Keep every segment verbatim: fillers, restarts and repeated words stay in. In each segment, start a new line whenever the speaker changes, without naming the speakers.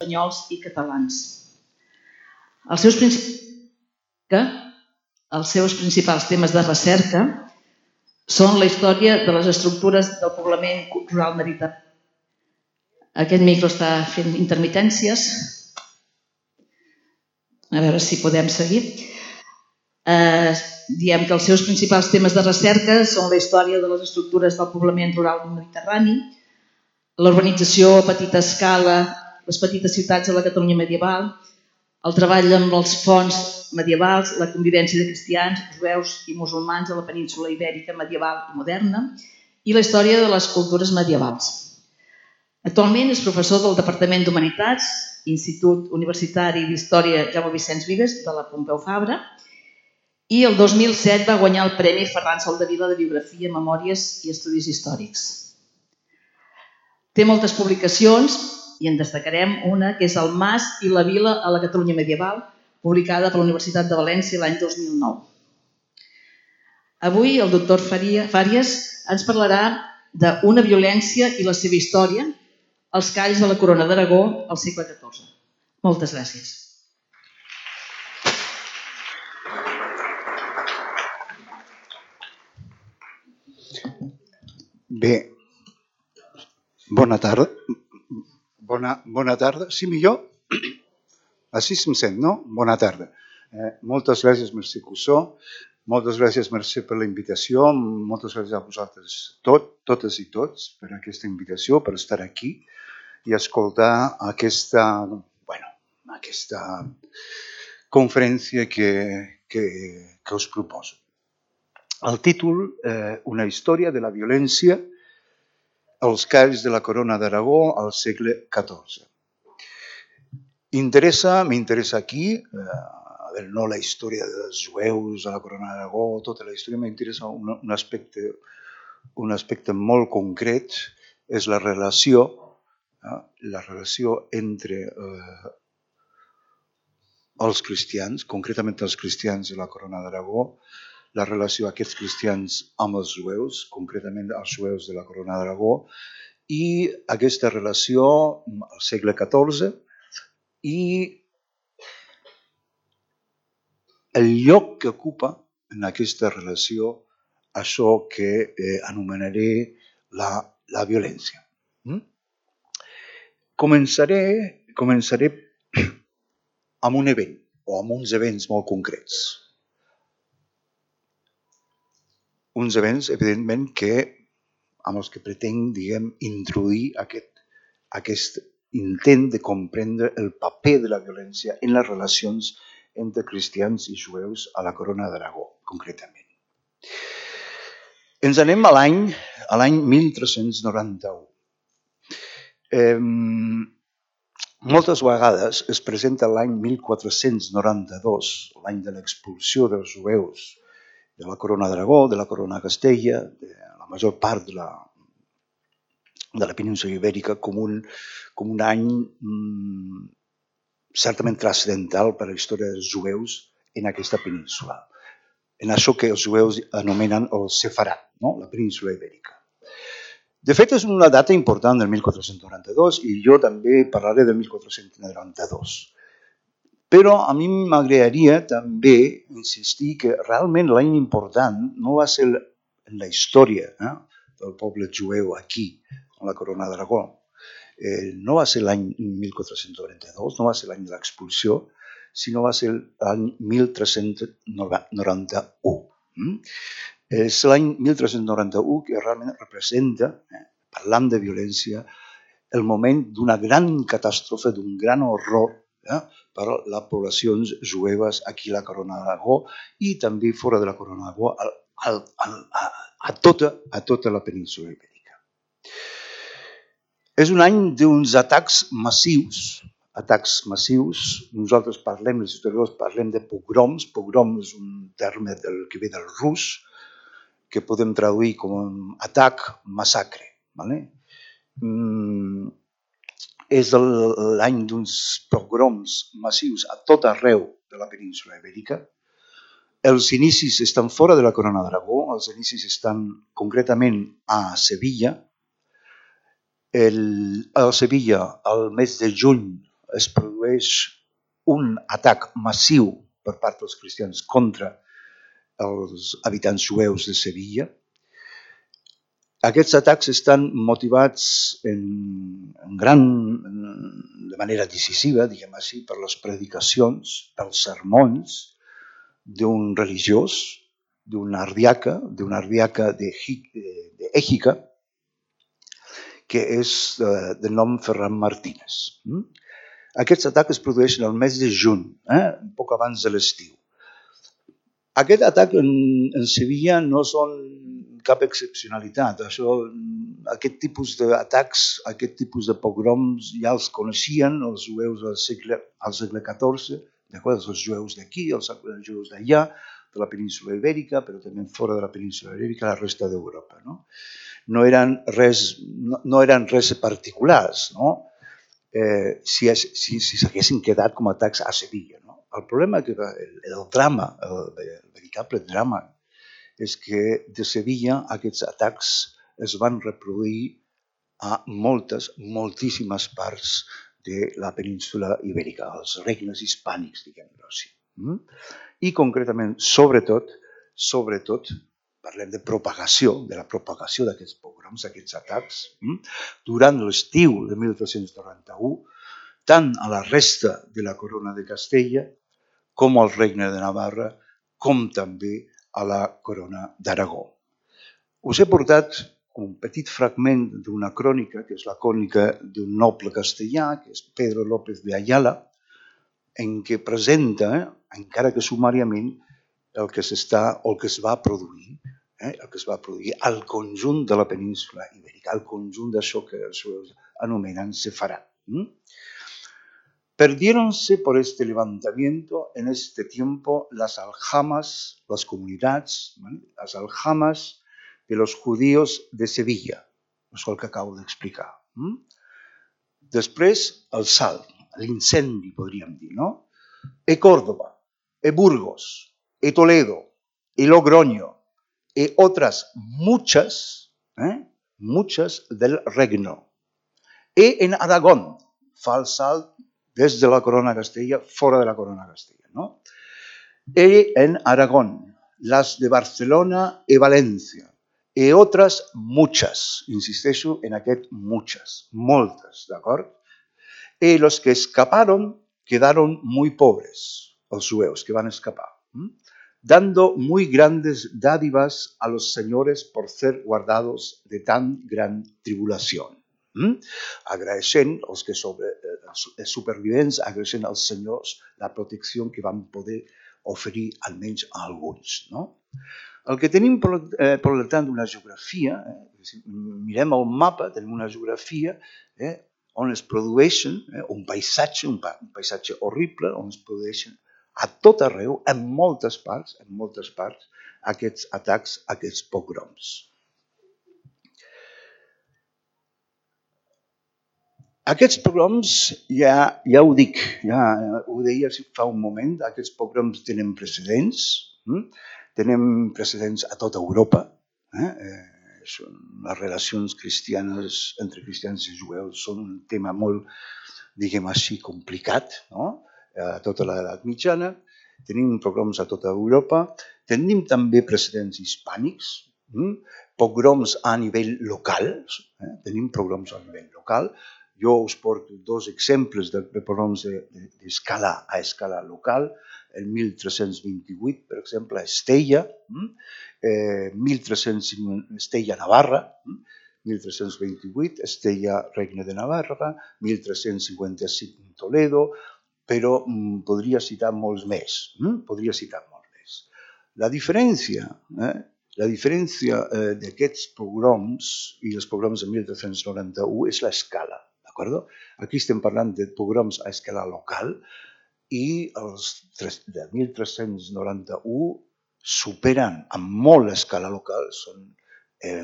espanyols i catalans. Els seus, princip... els seus principals temes de recerca són la història de les estructures del poblament rural mediterrani. Aquest micro està fent intermitències. A veure si podem seguir. Eh, diem que els seus principals temes de recerca són la història de les estructures del poblament rural mediterrani, l'urbanització a petita escala, les petites ciutats de la Catalunya medieval, el treball amb els fonts medievals, la convivència de cristians, jueus i musulmans a la península ibèrica medieval i moderna i la història de les cultures medievals. Actualment és professor del Departament d'Humanitats, Institut Universitari d'Història Jaume Vicenç Vives de la Pompeu Fabra, i el dos mil set va guanyar el Premi Ferran Soldevila de Biografia, Memòries i Estudis Històrics. Té moltes publicacions i en destacarem una que és El Mas i la Vila a la Catalunya medieval, publicada per la Universitat de València l'any dos mil nou. Avui el doctor Fàries ens parlarà d'una violència i la seva història, els calls de la Corona d'Aragó al segle catorze. Moltes gràcies.
Bé, bona tarda. Bona, bona tarda. Sí, millor? Així se'm sent, no? Bona tarda. Eh, moltes gràcies, Mercè Cussó. Moltes gràcies, Mercè, per la invitació. Moltes gràcies a vosaltres tot, totes i tots per aquesta invitació, per estar aquí i escoltar aquesta, bueno, aquesta conferència que, que, que us proposo. El títol, eh, Una història de la violència als calls de la Corona d'Aragó al segle catorze. Interessa, m'interessa aquí, eh, a veure, no la història dels jueus a la Corona d'Aragó, tota la història, m'interessa un, un, aspecte, un aspecte molt concret, és la relació, eh, la relació entre eh, els cristians, concretament els cristians de la Corona d'Aragó, la relació d'aquests cristians amb els jueus, concretament els jueus de la Corona d'Aragó, i aquesta relació al segle catorze i el lloc que ocupa en aquesta relació això que eh, anomenaré la, la violència. Mm? Començaré, començaré amb un event o amb uns events molt concrets. Uns events, evidentment, que, amb els que pretenc, diguem, introduir aquest, aquest intent de comprendre el paper de la violència en les relacions entre cristians i jueus a la Corona d'Aragó, concretament. Ens anem a l'any a l'any mil tres-cents noranta-u. Eh, moltes vegades es presenta l'any mil quatre-cents noranta-dos, l'any de l'expulsió dels jueus de la Corona d'Aragó, de la Corona de Castella, de la major part de la, de la península ibèrica, com un, com un any mm, certament transcendental per a la història dels jueus en aquesta península. En això que els jueus anomenen el Sefarat, no? La península ibèrica. De fet, és una data important del mil quatre-cents noranta-dos i jo també parlaré del mil quatre-cents noranta-dos. Però a mi m'agradaria també insistir que realment l'any important no va ser en la història eh, del poble jueu aquí, a la Corona d'Aragó. Eh, no va ser l'any mil quatre-cents noranta-dos, no va ser l'any de l'expulsió, sinó va ser l'any mil tres-cents noranta-u. Mm? És l'any mil tres-cents noranta-u que realment representa, eh, parlant de violència, el moment d'una gran catàstrofe, d'un gran horror eh, per a les poblacions jueves aquí a la Corona d'Aragó i també fora de la Corona d'Aragó a, a, a, a, tota, a tota la península ibèrica. És un any d'uns atacs massius, atacs massius, nosaltres parlem, els historiadors parlem de pogroms, pogrom és un terme del, que ve del rus, que podem traduir com un atac, massacre. Vale? Mm, és l'any d'uns pogroms massius a tot arreu de la península ibèrica. Els inicis estan fora de la Corona d'Aragó, els inicis estan concretament a Sevilla. El, a Sevilla, al mes de juny es produeix un atac massiu per part dels cristians contra els habitants jueus de Sevilla. Aquests atacs estan motivats en, en gran, de manera decisiva, diguem així, per les predicacions, pels sermons d'un religiós, d'un ardiaca, d'un ardiaca d'Écija, que és de nom Ferran Martínez. Aquests atacs es produeixen al mes de juny, eh? un poc abans de l'estiu. Aquest atac en, en Sevilla no són cap excepcionalitat. Això, aquest tipus d'atacs, aquest tipus de pogroms ja els coneixien els jueus al segle, al segle catorze, d'acord? Els jueus d'aquí, els jueus d'allà, de la península ibèrica, però també fora de la península ibèrica, la resta d'Europa. No? No eren res, no, no eren res particulars, no? Eh, si, es, si, si s'haguessin quedat com a atacs a Sevilla. No? El problema que el, el drama, el, el veritable drama, és que de Sevilla aquests atacs es van reproduir a moltes, moltíssimes parts de la península ibèrica, els regnes hispànics, diguem-ho així. I concretament, sobretot, sobretot, parlem de propagació, de la propagació d'aquests pogroms, d'aquests atacs, durant l'estiu de mil tres-cents noranta-u, tant a la resta de la corona de Castella, com al regne de Navarra, com també a la corona d'Aragó. Us he portat un petit fragment d'una crònica, que és la crònica d'un noble castellà, que és Pedro López de Ayala, en què presenta, encara que sumàriament, el que s'està o el que es va produir, eh, el que es va produir al conjunt de la península ibèrica, al conjunt d'això que els jueus anomenen sefarad. Perdiéronse por este levantamiento en este tiempo las aljamas, las comunidades, ¿vale? Las aljamas de los judíos de Sevilla, és el que acabo d'explicar. Després, el salt, l'incendi, podríem dir, no? E Córdoba, e Burgos, e Toledo, e Logroño, e otras muchas, ¿eh? muchas del reino. E en Aragón, fa el salt des de la corona Castella, fora de la corona Castella, no? E en Aragón, las de Barcelona e València, e otras muchas, insisteixo en aquest muchas, moltes, d'acord? E los que escaparon quedaron muy pobres, els jueus que van escapar, dando muy grandes dádivas a los señores por ser guardados de tan gran tribulación. Agraeixent els que sobre, els supervivents, agraeixent als senyors la protecció que van poder oferir almenys a alguns. No? El que tenim, per, per tant, una geografia, eh, mirem el mapa, tenim una geografia eh, on es produeixen eh, un paisatge, un, pa, un paisatge horrible, on es produeixen a tot arreu, en moltes parts, en moltes parts, aquests atacs, aquests pogroms. Aquests pogroms, ja, ja ho dic, ja ho deia fa un moment, aquests pogroms tenen precedents, hm? Tenen precedents a tota Europa. Eh? Eh, són, les relacions cristianes entre cristians i jueus són un tema molt, diguem així, complicat, no? A tota l'edat mitjana. Tenim pogroms a tota Europa. Tenim també precedents hispànics, hm? pogroms a nivell local. Eh? Tenim pogroms a nivell local. Jo us porto dos exemples de pogroms d'escala a escala local. El mil tres-cents vint-i-vuit, per exemple, a Estella, eh, mil tres-cents Estella, Navarra, mil tres-cents vint-i-vuit, Estella, Regne de Navarra, mil tres-cents cinquanta-cinc, Toledo, però mm, podria citar molts més. Mm? Podria citar molts més. La diferència, eh, la diferència eh, d'aquests pogroms i els pogroms de mil tres-cents noranta-u és l'escala. Aquí estem parlant de pogroms a escala local, i els de mil tres-cents noranta-u superen amb molt l'escala local, són eh,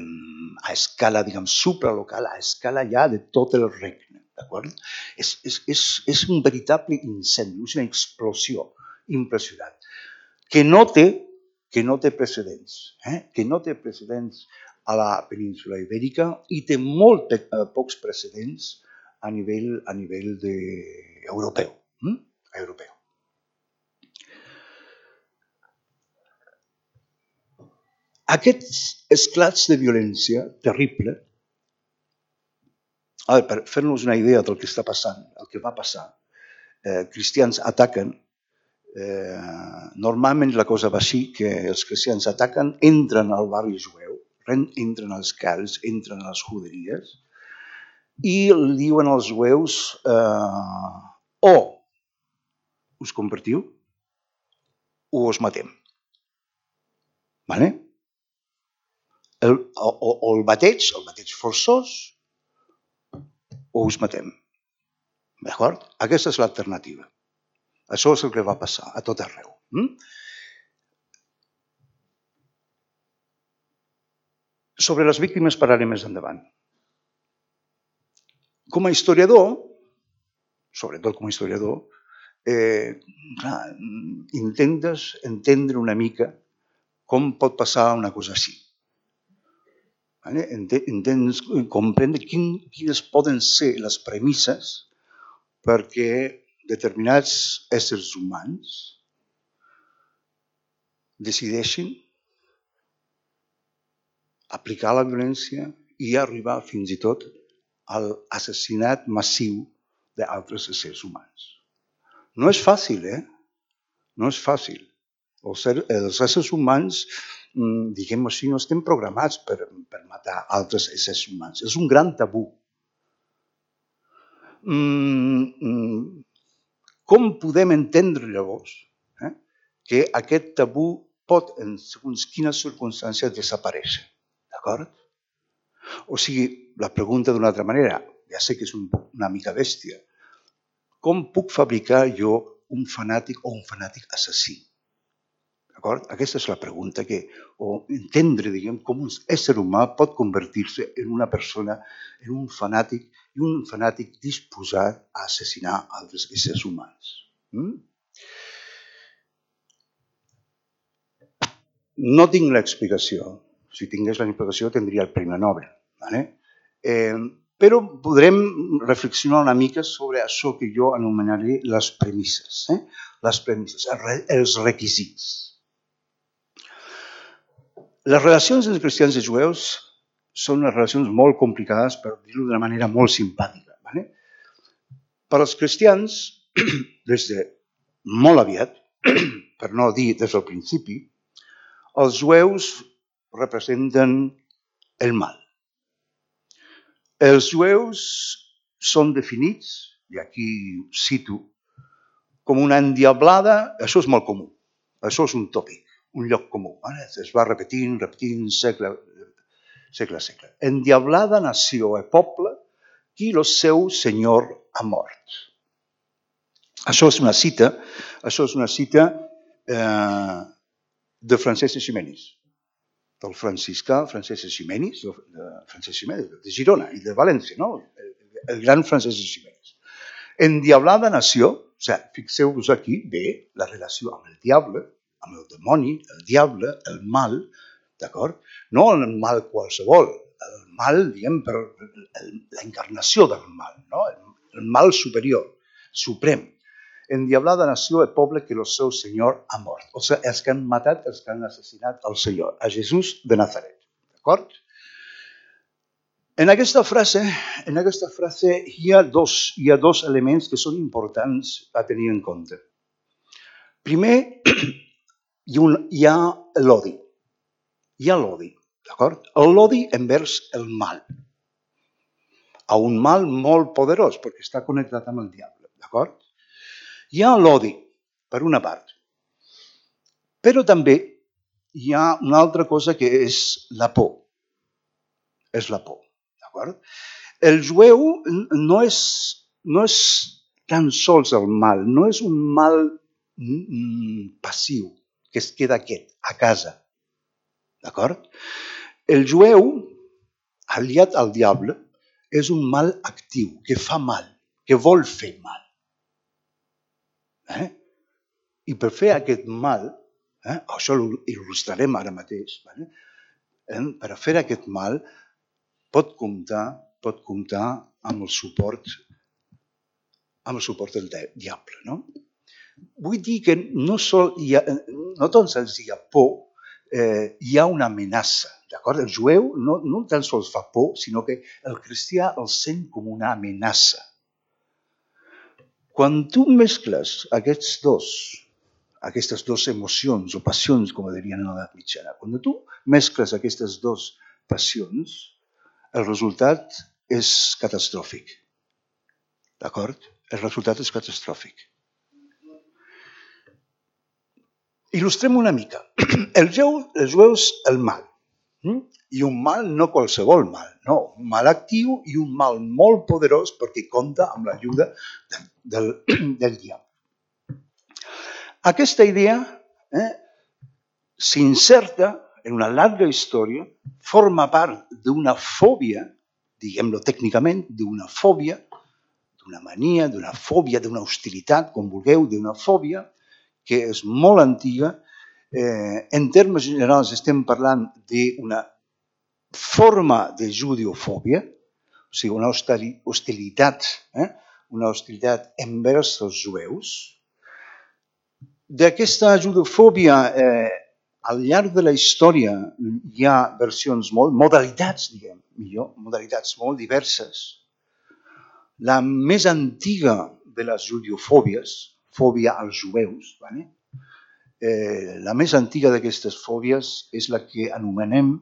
a escala, diguem, supralocal, a escala ja de tot el regne. És, és, és, és un veritable incendi, és una explosió impressionant, que no té, que no té precedents, eh? que no té precedents a la península ibèrica i té molt eh, pocs precedents a nivell, a nivell de europeu. Mm? Europeu. Aquests esclats de violència terrible, ara, per fer-nos una idea del que està passant, el que va passar, eh, cristians ataquen, eh, normalment la cosa va així, que els cristians ataquen, entren al barri jueu, entren als camps, entren a les juderies, i diuen als jueus, eh, o us convertiu o us matem. Vale? El, o, o el bateig, el bateig forçós, o us matem. D'acord? Aquesta és l'alternativa. Això és el que va passar a tot arreu. Mm? Sobre les víctimes parlaré més endavant. Com a historiador, sobretot com a historiador, eh, clar, intentes entendre una mica com pot passar una cosa així. Vale? Intentes comprendre quin, quines poden ser les premisses perquè determinats éssers humans decideixin aplicar la violència i arribar fins i tot a l'assassinat massiu d'altres éssers humans. No és fàcil, eh? No és fàcil. Els, els éssers humans, diguem així, no estem programats per, per matar altres éssers humans. És un gran tabú. Mm, com podem entendre llavors eh, que aquest tabú pot, en segons quines circumstàncies, desaparèixer? D'acord? O sigui, la pregunta d'una altra manera, ja sé que és un, una mica bèstia, com puc fabricar jo un fanàtic o un fanàtic assassí? D'acord? Aquesta és la pregunta que, o entendre, diguem, com un ésser humà pot convertir-se en una persona, en un fanàtic, i un fanàtic disposat a assassinar altres éssers humans. Mm? No tinc l'explicació. Si tingués l'explicació tindria el Premi Nobel. Vale? Eh, però podrem reflexionar una mica sobre això que jo anomenaré les premisses. Eh? Les premisses, els requisits. Les relacions entre cristians i jueus són unes relacions molt complicades, per dir-ho d'una manera molt simpàtica. Vale? Per als cristians, des de molt aviat, per no dir des del principi, els jueus representen el mal. Els jueus són definits, i aquí cito, com una endiablada, això és molt comú, això és un tòpic. Un lloc comú. Es va repetint, repetint, segle, segle a segle. Endiablada nació e poble, qui el seu senyor ha mort. Això és una cita, això és una cita eh, de Francesc Eiximenis, del franciscà Francesc Eiximenis, de, Francesc Eiximenis, de Girona i de València, no? el, el gran Francesc Eiximenis. Endiablada nació, o sigui, fixeu-vos aquí, bé, la relació amb el diable, amb el demoni, el diable, el mal, d'acord? No el mal qualsevol, el mal, diguem, per la encarnació del mal, no? El mal superior, suprem. Endiablada nació el poble que el seu senyor ha mort. O sigui, els que han matat, els que han assassinat el senyor, a Jesús de Nazaret, d'acord? En aquesta frase, en aquesta frase hi ha dos, hi ha dos elements que són importants a tenir en compte. Primer, Hi, un, hi ha l'odi. Hi ha l'odi, d'acord? L'odi envers el mal. A un mal molt poderós, perquè està connectat amb el diable, d'acord? Hi ha l'odi, per una part. Però també hi ha una altra cosa que és la por. És la por, d'acord? El jueu no és, no és tan sols el mal, no és un mal mm, passiu, que es queda aquest, a casa. D'acord? El jueu, aliat al diable, és un mal actiu, que fa mal, que vol fer mal. Eh? I per fer aquest mal, eh, això ho il·lustrarem ara mateix, eh? Per fer aquest mal pot comptar, pot comptar amb el suport amb el suport del diable. No? Vull dir que no, sol hi ha, no tan sols hi ha por, eh, hi ha una amenaça. D'acord? El jueu no, no tan sols fa por, sinó que el cristià el sent com una amenaça. Quan tu mescles aquests dos, aquestes dues emocions o passions, com dirien en l'edat mitjana, quan tu mescles aquestes dues passions, el resultat és catastròfic. D'acord? El resultat és catastròfic. Il·lustrem una mica. Els jueus, el mal. I un mal no qualsevol mal, no, un mal actiu i un mal molt poderós perquè compta amb l'ajuda del, del diable. Aquesta idea eh, s'inserta en una llarga història, forma part d'una fòbia, diguem-lo tècnicament, d'una fòbia, d'una mania, d'una fòbia, d'una hostilitat, com vulgueu, d'una fòbia que és molt antiga. Eh, en termes generals estem parlant d'una forma de judeofòbia, o sigui, una hostilitat, eh? una hostilitat envers els jueus. D'aquesta judeofòbia, eh, al llarg de la història hi ha versions molt, modalitats, diguem, millor, modalitats molt diverses. La més antiga de les judeofòbies, fòbia als jueus, ¿vale? Eh, la més antiga d'aquestes fòbies és la que anomenem,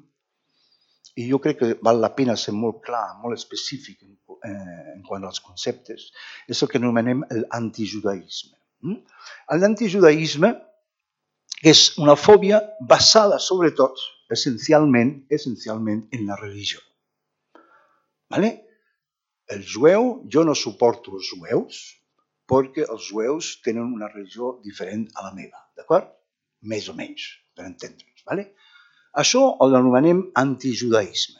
i jo crec que val la pena ser molt clar, molt específic en, eh, en quant als conceptes, és el que anomenem l'antijudaïsme. Mm? L'antijudaïsme és una fòbia basada sobretot, essencialment, essencialment en la religió. ¿Vale? El jueu, jo no suporto els jueus, perquè els jueus tenen una religió diferent a la meva, d'acord? Més o menys, per entendre'ns, ¿vale? Això ho anomenem antijudaïsme.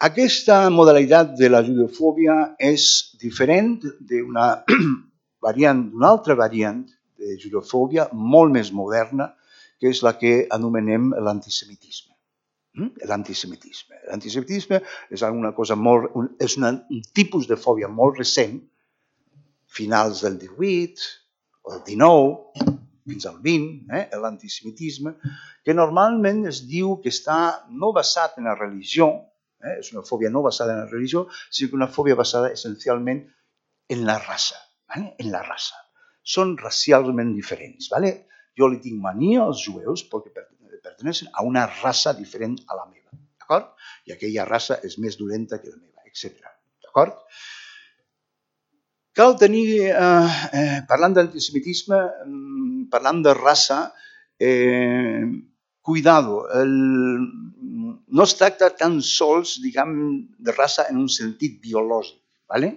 Aquesta modalitat de la judeofòbia és diferent d'una variant, d'una altra variant de judeofòbia molt més moderna, que és la que anomenem l'antisemitisme. L'antisemitisme. L'antisemitisme és alguna cosa molt, és una, un tipus de fòbia molt recent, finals del divuit, o el dinou, fins al vint, eh, l'antisemitisme, que normalment es diu que està no basat en la religió, eh, és una fòbia no basada en la religió, sinó que una fòbia basada essencialment en la raça, ¿vale? En la raça. Són racialment diferents, ¿vale? Jo li tinc mania als jueus perquè pertenecen a una raça diferent a la meva, d'acord? I aquella raça és més dolenta que la meva, etcètera. D'acord? Cal tenir, eh, eh, parlant d'antisemitisme, eh, parlant de raça, eh, cuidado, el, no es tracta tan sols, diguem, de raça en un sentit biològic, ¿vale?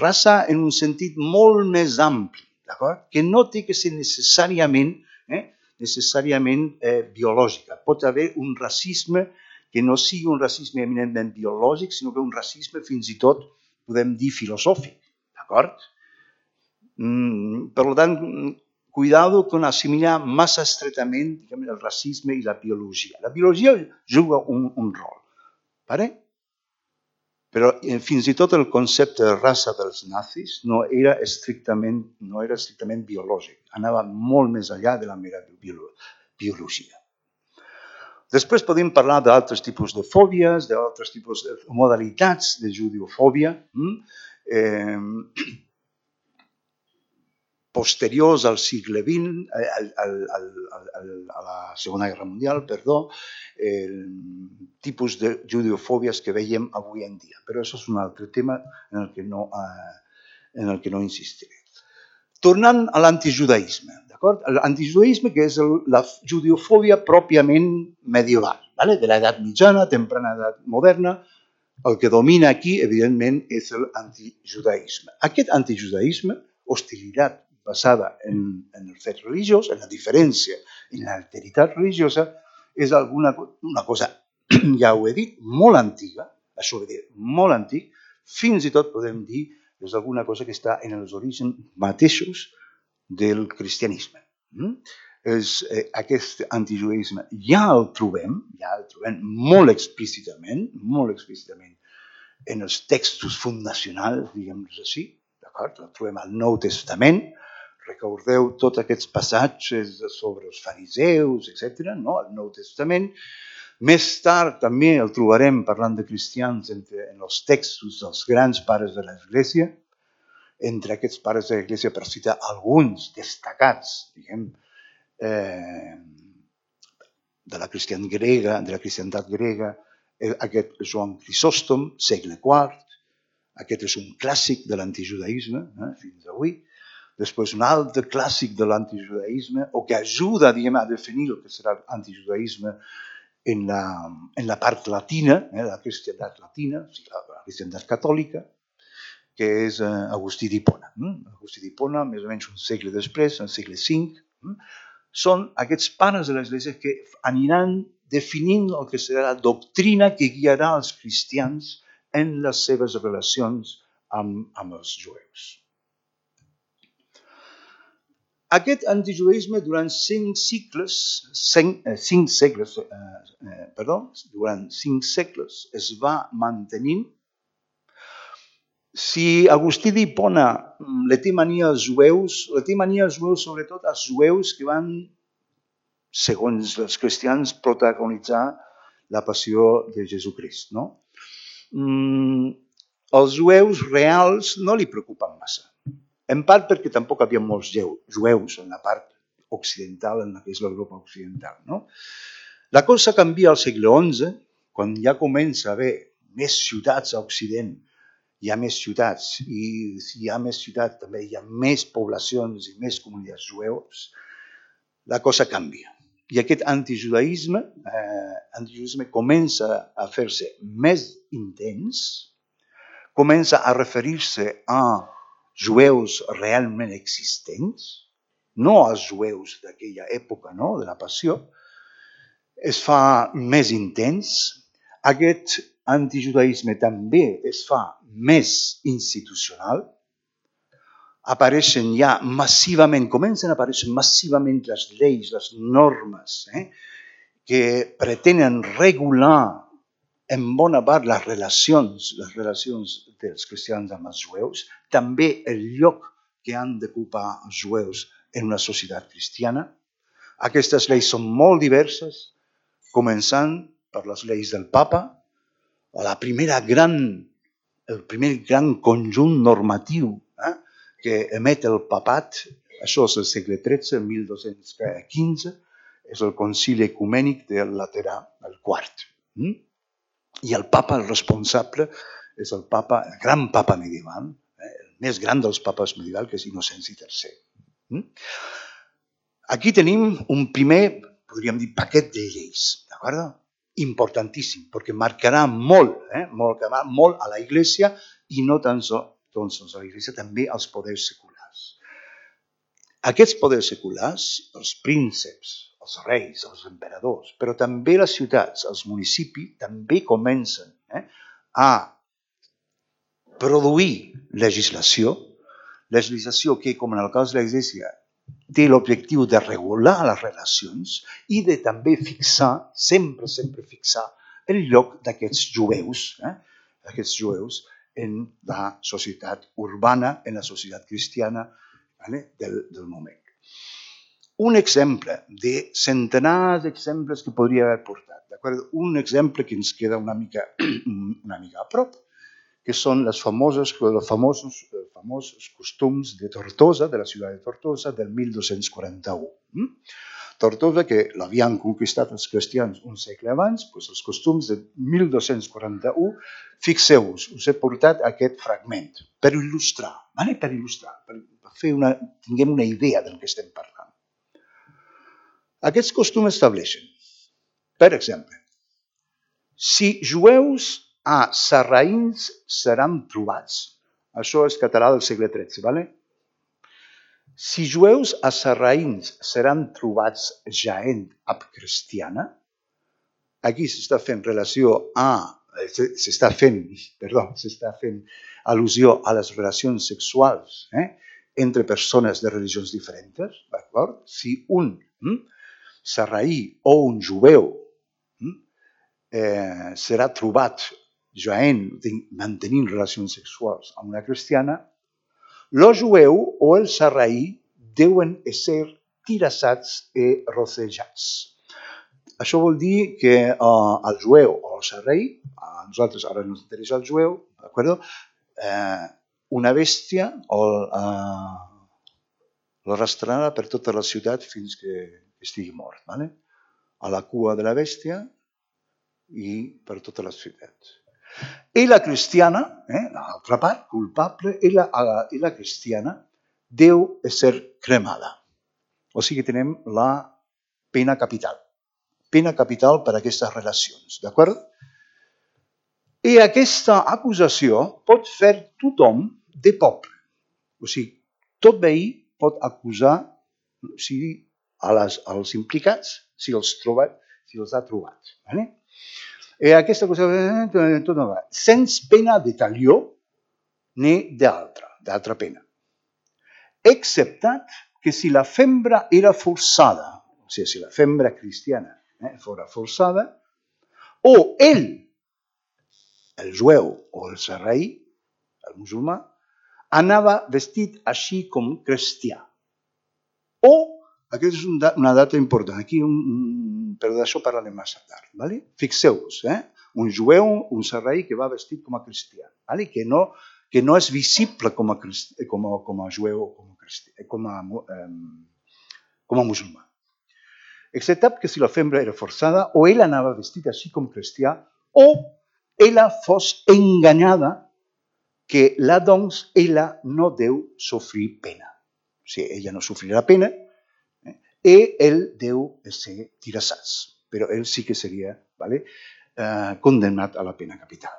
Raça en un sentit molt més ampli, d'acord? Que no té que ser necessàriament, eh, necessàriament eh, biològica. Pot haver un racisme que no sigui un racisme eminentment biològic, sinó que un racisme fins i tot, podem dir, filosòfic. D'acord? Mm, per tant, cuidado con assimilar massa estretament, diguem, el racisme i la biologia. La biologia juga un, un rol, ¿vale? Però eh, fins i tot el concepte de raça dels nazis no era estrictament, no era estrictament biològic, anava molt més enllà de la mera biologia. Després podem parlar d'altres tipus de fòbies, d'altres tipus de modalitats de judeofòbia, mm? Eh, posteriors al segle vint, al, al, al, al, a la Segona Guerra Mundial, perdó, el tipus de judeofòbies que veiem avui en dia. Però això és un altre tema en el que no, eh, en el que no insistiré. Tornant a l'antijudaïsme, d'acord? L'antijudaïsme que és el, la judeofòbia pròpiament medieval, ¿vale? De l'edat mitjana, temprana edat moderna. El que domina aquí, evidentment, és l'antijudaïsme. Aquest antijudaïsme, hostilitat basada en, en el fet religiós, en la diferència, en l'alteritat religiosa, és alguna una cosa, ja ho he dit, molt antiga, això vol dir molt antic, fins i tot podem dir que és alguna cosa que està en els orígens mateixos del cristianisme. Mm? És, eh, aquest antijudaïsme ja el trobem, ja el trobem molt explícitament, molt explícitament en els textos fundacionals, diguem-nos així, d'acord? La trobem al Nou Testament. Recordeu tots aquests passatges sobre els fariseus, etcètera, no? Al Nou Testament. Més tard també el trobarem parlant de cristians entre, en els textos dels grans pares de l'Església. Entre aquests pares de l'Església, per citar alguns destacats, diguem, eh, de la cristian grega, de la cristiandat grega, aquest Joan Crisòstom, segle quart, aquest és un clàssic de l'antijudaïsme, eh, fins avui. Després un altre clàssic de l'antijudaïsme, o que ajuda, diguem, a definir el que serà l'antijudaïsme en la, en la part latina, eh, la cristiandat latina, o sigui, la cristiandat catòlica, que és eh, Agustí d'Hipona. Eh? Agustí d'Hipona, més o menys un segle després, un segle cinc, eh? Són aquests pares de l'Església que aniran definint el que serà la doctrina que guiarà els cristians en les seves relacions amb, amb els jueus. Aquest antijudaïsme durant cinc segles, cinc, eh, cinc segles, eh, eh, perdó, durant cinc segles es va mantenint. Si Agustí d'Hipona le té mania als jueus, le té mania als jueus, sobretot als jueus que van, segons els cristians, protagonitzar la passió de Jesucrist. No? Mm, els jueus reals no li preocupen massa. En part perquè tampoc hi havia molts jueus en la part occidental, en la que és l'Europa occidental. No? La cosa canvia al segle onze, quan ja comença a haver més ciutats a Occident. Hi ha més ciutats i si hi ha més ciutats també hi ha més poblacions i més comunitats jueus, la cosa canvia. I aquest antijudaïsme, eh, antijudaïsme comença a fer-se més intens, comença a referir-se a jueus realment existents, no als jueus d'aquella època, no? De la passió, es fa més intens. Aquest antijudaïsme també es fa més institucional. Apareixen ja massivament, comencen a aparèixer massivament les lleis, les normes, eh, que pretenen regular en bona part les relacions, les relacions dels cristians amb els jueus, també el lloc que han d'ocupar els jueus en una societat cristiana. Aquestes lleis són molt diverses, començant per les lleis del Papa, la primera gran, el primer gran conjunt normatiu eh, que emet el papat, això és el segle tretze, mil dos-cents quinze, és el concili ecumènic del Laterà, el quart. Mm? I el papa, el responsable, és el papa, el gran papa medieval, eh, el més gran dels papes medievals, que és Innocenci tercer. Mm? Aquí tenim un primer, podríem dir, paquet de lleis, d'acord? Importantíssim, perquè marcarà molt, eh, marcarà molt a la Iglesia i no tan sols a la Iglesia, també als poders seculars. Aquests poders seculars, els prínceps, els reis, els emperadors, però també les ciutats, els municipis, també comencen eh, a produir legislació, legislació que, com en el cas de l'Església, té l'objectiu de regular les relacions i de també fixar, sempre, sempre fixar el lloc d'aquests jueus, eh, d'aquests jueus en la societat urbana, en la societat cristiana vale, del, del moment. Un exemple de centenars d'exemples que podria haver portat, d'acord? Un exemple que ens queda una mica, una mica a prop, que són les famoses, els famosos, els famosos costums de Tortosa, de la ciutat de Tortosa, del mil dos-cents quaranta-u. Tortosa, que l'havien conquistat els cristians un segle abans, doncs els costums de mil dos-cents quaranta-u, fixeu-vos, us he portat aquest fragment per il·lustrar, vale? per il·lustrar, per fer una, tinguem una idea del que estem parlant. Aquests costums estableixen, per exemple, si jueus a sarraïns seran trobats. Això és català del segle tretze, ¿vale? Si jueus a sarraïns seran trobats jaent ab cristiana, aquí s'està fent relació a, s'està fent, perdó, s'està fent al·lusió a les relacions sexuals eh, entre persones de religions diferents, d'acord? Si un hm, sarraí o un jueu hm, eh, serà trobat jaent, mantenint relacions sexuals amb una cristiana, el jueu o el sarraí deuen ser tirassats i rocejats. Això vol dir que uh, el jueu o el sarraí, a nosaltres ara ens interessa el jueu, d'acord? Eh, una bèstia o uh, l'arrastrarà per tota la ciutat fins que estigui mort, ¿vale? A la cua de la bèstia i per tota la ciutat. I la cristiana, eh, l'altra part, culpable, i la, i la cristiana deu ser cremada. O sigui, tenim la pena capital. Pena capital per a aquestes relacions, d'acord? I aquesta acusació pot fer tothom de poble. O sigui, tot veí pot acusar o sigui, a les, als implicats si els, troba, si els ha trobat. Vale? I aquesta cosa, tot no va. Sense pena de talió ni d'altra, d'altra pena. Exceptat que si la fembra era forçada, o sigui, si la fembra cristiana eh, fora forçada, o ell, el jueu o el sarraí, el musulmà, anava vestit així com cristià. O, aquesta és una data important, aquí, un, però d'això parlarem més tard. Vale? Fixeu-vos, eh? Un jueu, un sarraí que va vestit com a cristià, vale? que, no, que no és visible com a, cristià, com a, com a jueu o com a, cristià, com a, um, com a musulmà. Exceptat que si la fembra era forçada, o ell anava vestit així com cristià, o ella fos enganyada, que la doncs ella no deu sofrir pena. O sigui, ella no sofrirà pena eh? i ell deu ser tirassats. Però ell sí que seria vale, eh, condemnat a la pena capital.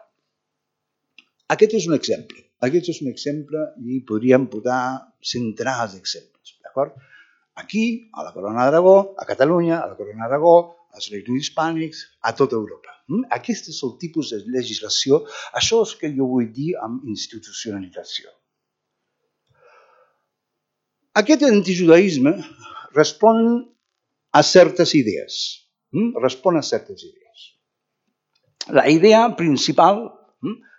Aquest és un exemple. Aquest és un exemple i podríem posar centenars d'exemples. D'acord? Aquí, a la Corona d'Aragó, a Catalunya, a la Corona d'Aragó, als Reis Hispànics, a tota Europa. Aquest és el tipus de legislació, això és que jo vull dir amb institucionalització. Aquest antijudaïsme respon a certes idees. Respon a certes idees. La idea principal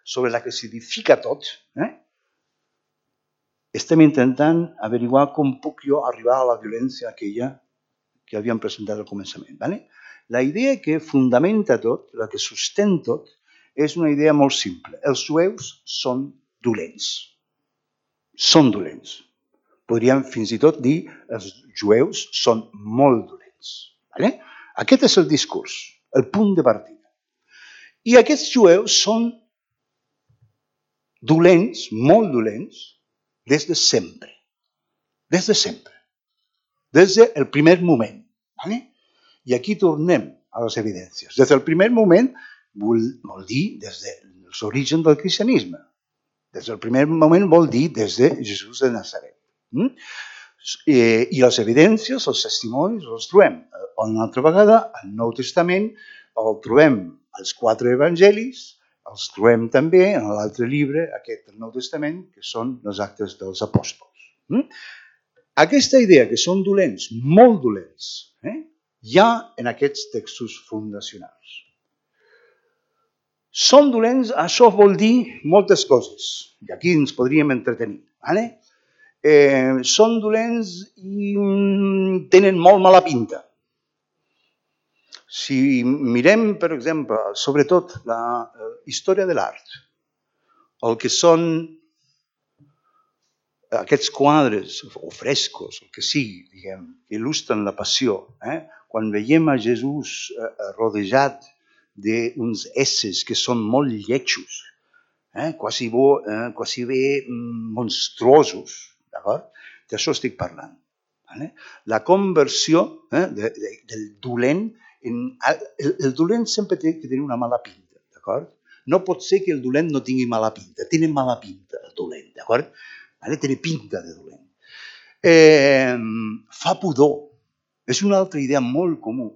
sobre la que s'edifica tot, eh? estem intentant averiguar com puc jo arribar a la violència aquella que havíem presentat al començament. ¿vale? La idea que fundamenta tot, la que sostén tot, és una idea molt simple. Els jueus són dolents. Són dolents. Podríem fins i tot dir que els jueus són molt dolents. ¿vale? Aquest és el discurs, el punt de partida. I aquests jueus són dolents, molt dolents, des de sempre. Des de sempre. Des del primer moment. ¿vale? I aquí tornem a les evidències. Des del primer moment vol, vol dir des dels orígens del cristianisme. Des del primer moment vol dir des de Jesús de Nazaret. Mm? I, I les evidències, els testimonis, els trobem una altra vegada al Nou Testament, el trobem als quatre evangelis, els trobem també en l'altre llibre, aquest del Nou Testament, que són els actes dels apòstols. Mm? Aquesta idea que són dolents, molt dolents, eh? hi ha en aquests textos fundacionals. Són dolents, això vol dir moltes coses, i aquí ens podríem entretenir. ¿vale? Eh, són dolents i tenen molt mala pinta. Si mirem, per exemple, sobretot la història de l'art, el que són aquests quadres o frescos, el que sigui, diguem, que il·lustren la passió, eh? quan veiem a Jesús eh, rodejat d'uns esses que són molt lletjos, eh? quasi, bo, eh? quasi bé monstruosos, d'acord? D'això estic parlant. Vale? La conversió eh? de, de, del dolent, en, el, el dolent sempre té que tenir una mala pinta, d'acord? No pot ser que el dolent no tingui mala pinta, té mala pinta el dolent, d'acord? Vale? Té pinta de dolent. Eh, fa pudor. És una altra idea molt comú,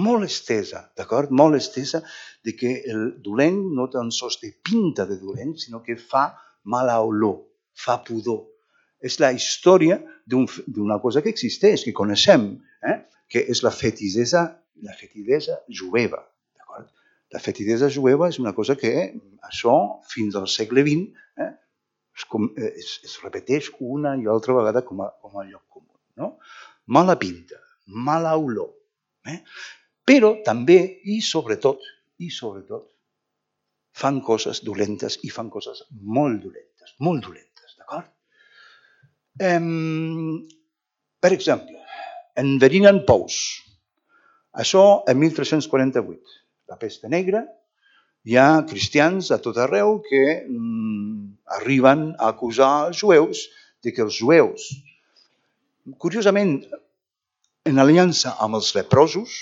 molt estesa, d'acord? Molt estesa de que el dolent no tan sols té pinta de dolent, sinó que fa mala olor, fa pudor. És la història d'una cosa que existeix, que coneixem, eh? que és la fetidesa, la fetidesa jueva, d'acord? La fetidesa jueva és una cosa que això fins al segle vint eh, es, es, es repeteix una i altra vegada com a, com a lloc comú. No? Mala pinta, mala olor. Eh? Però també, i sobretot, i sobretot, fan coses dolentes i fan coses molt dolentes, molt dolentes, d'acord? Um, per exemple, enverinen pous. Això en mil tres-cents quaranta-vuit, la pesta negra, hi ha cristians a tot arreu que mm, arriben a acusar els jueus de que els jueus, curiosament, en aliança amb els leprosos,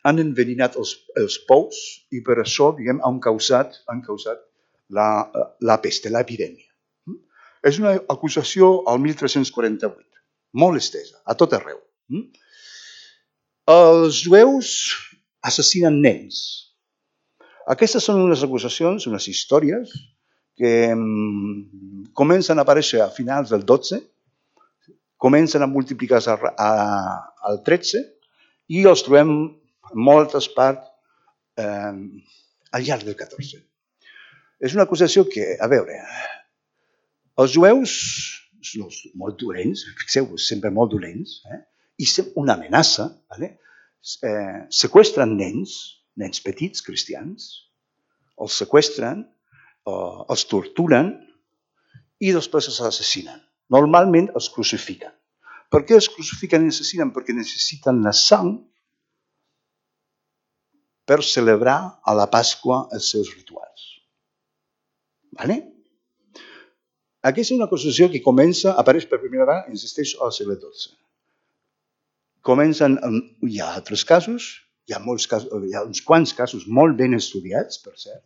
han enverinat els, els pous i per això, diguem, han causat, han causat la, la pesta, l'epidèmia. És una acusació al mil tres-cents quaranta-vuit, molt estesa, a tot arreu. Els jueus assassinen nens. Aquestes són unes acusacions, unes històries que um, comencen a aparèixer a finals del dotze, comencen a multiplicar-se al tretze i els trobem en moltes parts eh, al llarg del catorze. És una acusació que, a veure, els jueus són molt dolents, fixeu-vos, sempre molt dolents, eh? I una amenaça, vale? eh, seqüestren nens, nens petits, cristians, els seqüestren, eh, els torturen i després els assassinen. Normalment els crucifiquen. Per què els crucifiquen i assassinen? Perquè necessiten la sang per celebrar a la Pasqua els seus rituals. Vale? Aquesta és una acusació que comença, apareix per primera vegada, insisteix, al segle dotze. Comencen, hi ha altres casos, hi ha, molts casos, hi ha uns quants casos molt ben estudiats, per cert,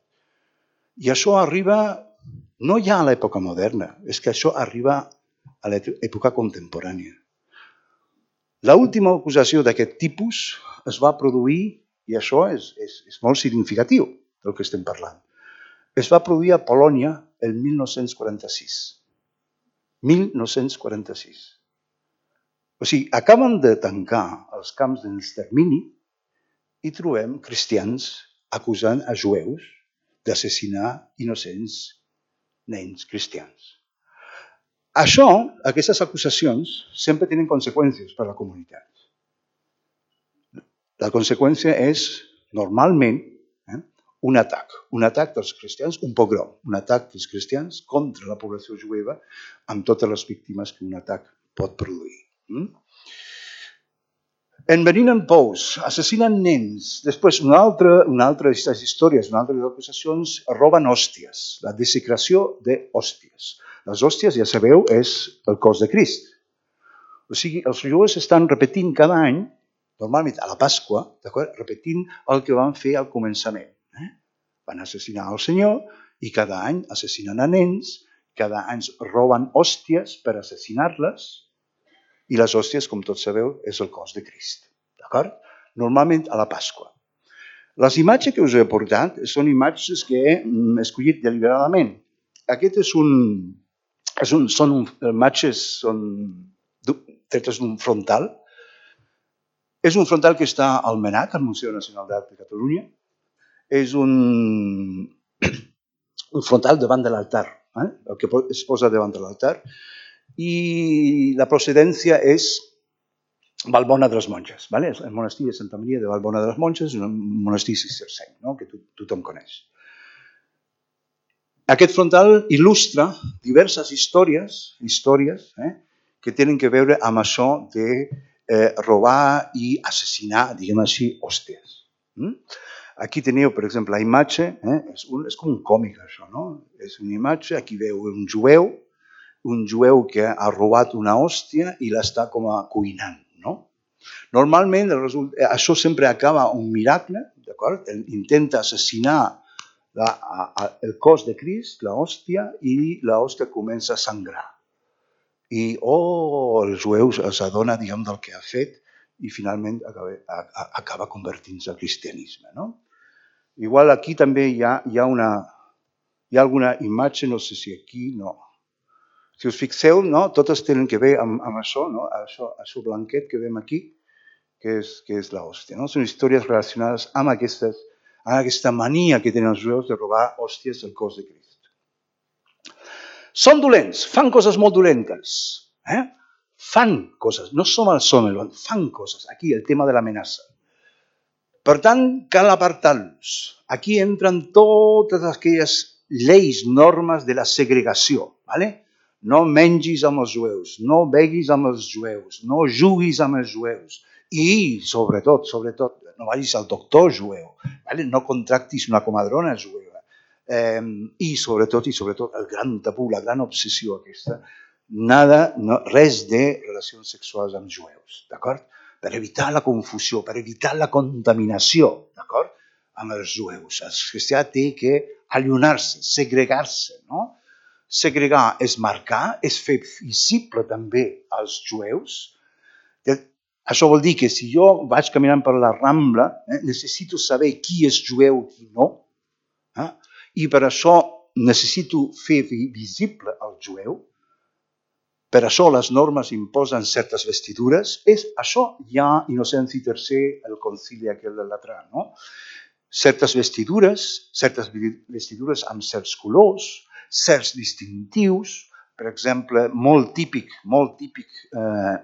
i això arriba, no ja a l'època moderna, és que això arriba a l'època contemporània. L'última acusació d'aquest tipus es va produir, i això és, és, és molt significatiu del que estem parlant, es va produir a Polònia el mil nou-cents quaranta-sis. mil nou-cents quaranta-sis. O sigui, acaben de tancar els camps d'extermini i trobem cristians acusant a jueus d'assassinar innocents nens cristians. Això, aquestes acusacions, sempre tenen conseqüències per a la comunitat. La conseqüència és, normalment, eh, un atac. Un atac dels cristians, un pogrom. Un atac dels cristians contra la població jueva amb totes les víctimes que un atac pot produir. Mm? Enverinen pous, assassinen nens. Després, una altra, una altra d'aquestes històries, una altra de les acusacions, roben hòsties, la desecració d'hòsties. Les hòsties, ja sabeu, és el cos de Crist. O sigui, els jueus estan repetint cada any, normalment a la Pasqua, repetint el que van fer al començament. Eh? Van assassinar el Senyor i cada any assassinen a nens, cada any roben hòsties per assassinar-les, i les hòsties, com tots sabeu, és el cos de Crist. D'acord? Normalment a la Pasqua. Les imatges que us he portat són imatges que he escollit deliberadament. Aquest és un... És un són un, imatges són tretes d'un frontal. És un frontal que està al MENAC, al Museu Nacional d'Art de Catalunya. És un, un frontal davant de l'altar, eh? El que es posa davant de l'altar. I la procedència és Valbona de les Monges. ¿Vale? El monestir de Santa Maria de Valbona de les Monges és un monestir cistercenc, ¿no? Que to tothom coneix. Aquest frontal il·lustra diverses històries, històries eh, que tenen que veure amb això de eh, robar i assassinar, diguem així, hòsties. Mm? Aquí teniu, per exemple, la imatge, eh, és, un, és com un còmic això, no? És una imatge, aquí veu un jueu, un jueu que ha robat una hòstia i l'està com a cuinant, no? Normalment això sempre acaba un miracle, d'acord? Intenta assassinar la, a, el cos de Crist, la hòstia, i la hòstia comença a sangrar. I oh, els jueus s'adona, diguem, del que ha fet i finalment acaba, acaba convertint-se al cristianisme, no? Igual aquí també hi ha, hi ha una hi ha alguna imatge, no sé si aquí, no. Si us fixeu, no? Totes tenen que veure amb, amb això, no? Això, això blanquet que veiem aquí, que és, que és l'hòstia. No? Són històries relacionades amb aquestes, en aquesta mania que tenen els jueus de robar hòsties del cos de Crist. Són dolents, fan coses molt dolentes. Eh? Fan coses, no som el som, fan coses. Aquí el tema de l'amenaça. Per tant, cal apartar-los. Aquí entren totes aquelles lleis, normes de la segregació. ¿Vale? No mengis amb els jueus, no beguis amb els jueus, no juguis amb els jueus. I, sobretot, sobretot, no vagis al doctor jueu, ¿vale? No contractis una comadrona jueva. Eh, I, sobretot, i sobretot, el gran tabú, la gran obsessió aquesta, nada, no, res de relacions sexuals amb jueus, d'acord? Per evitar la confusió, per evitar la contaminació, d'acord? Amb els jueus. El cristià té que allunar-se, segregar-se, no? Segregar és marcar, és fer visible també als jueus. Això vol dir que si jo vaig caminant per la Rambla, eh, necessito saber qui és jueu i qui no, eh? I per això necessito fer visible el jueu. Per això les normes imposen certes vestidures. És això ja Innocenci tercer, el concili aquell de Latrà, no? Certes vestidures, certes vestidures amb certs colors, certs distintius, per exemple, molt típic, molt típic, eh,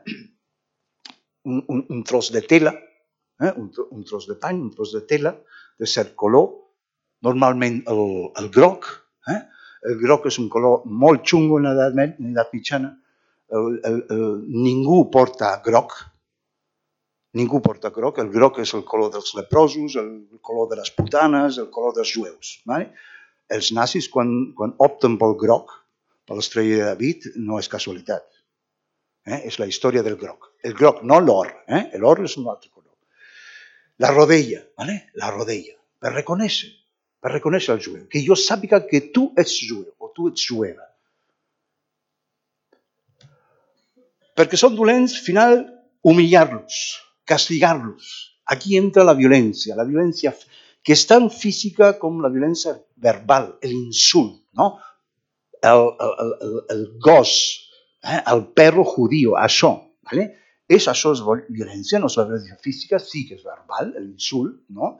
un, un, un tros de tela, eh, un, un tros de pany, un tros de tela, de cert color, normalment el, el groc. Eh? El groc és un color molt xungo en l'edat mitjana. El, el, el, ningú porta groc, ningú porta groc. El groc és el color dels leprosos, el color de les putanes, el color dels jueus. Vale? Els nazis, quan, quan opten pel groc, per l'estrella de David, no és casualitat. Eh? És la història del groc. El groc, no l'or. Eh? L'or és un altre color. La rodella, ¿vale? La rodella, per reconèixer, per reconèixer el jueu, que jo sàpiga que tu ets jueu o tu ets jueva. Perquè són dolents, al final, humillar-los, castigar-los. Aquí entra la violència, la violència que és tan física com la violència verbal, l'insult, no? El, el, el, el gos, eh? El perro judío, això, ¿vale? És això és violència, no és la violència física, sí que és verbal, l'insult, no?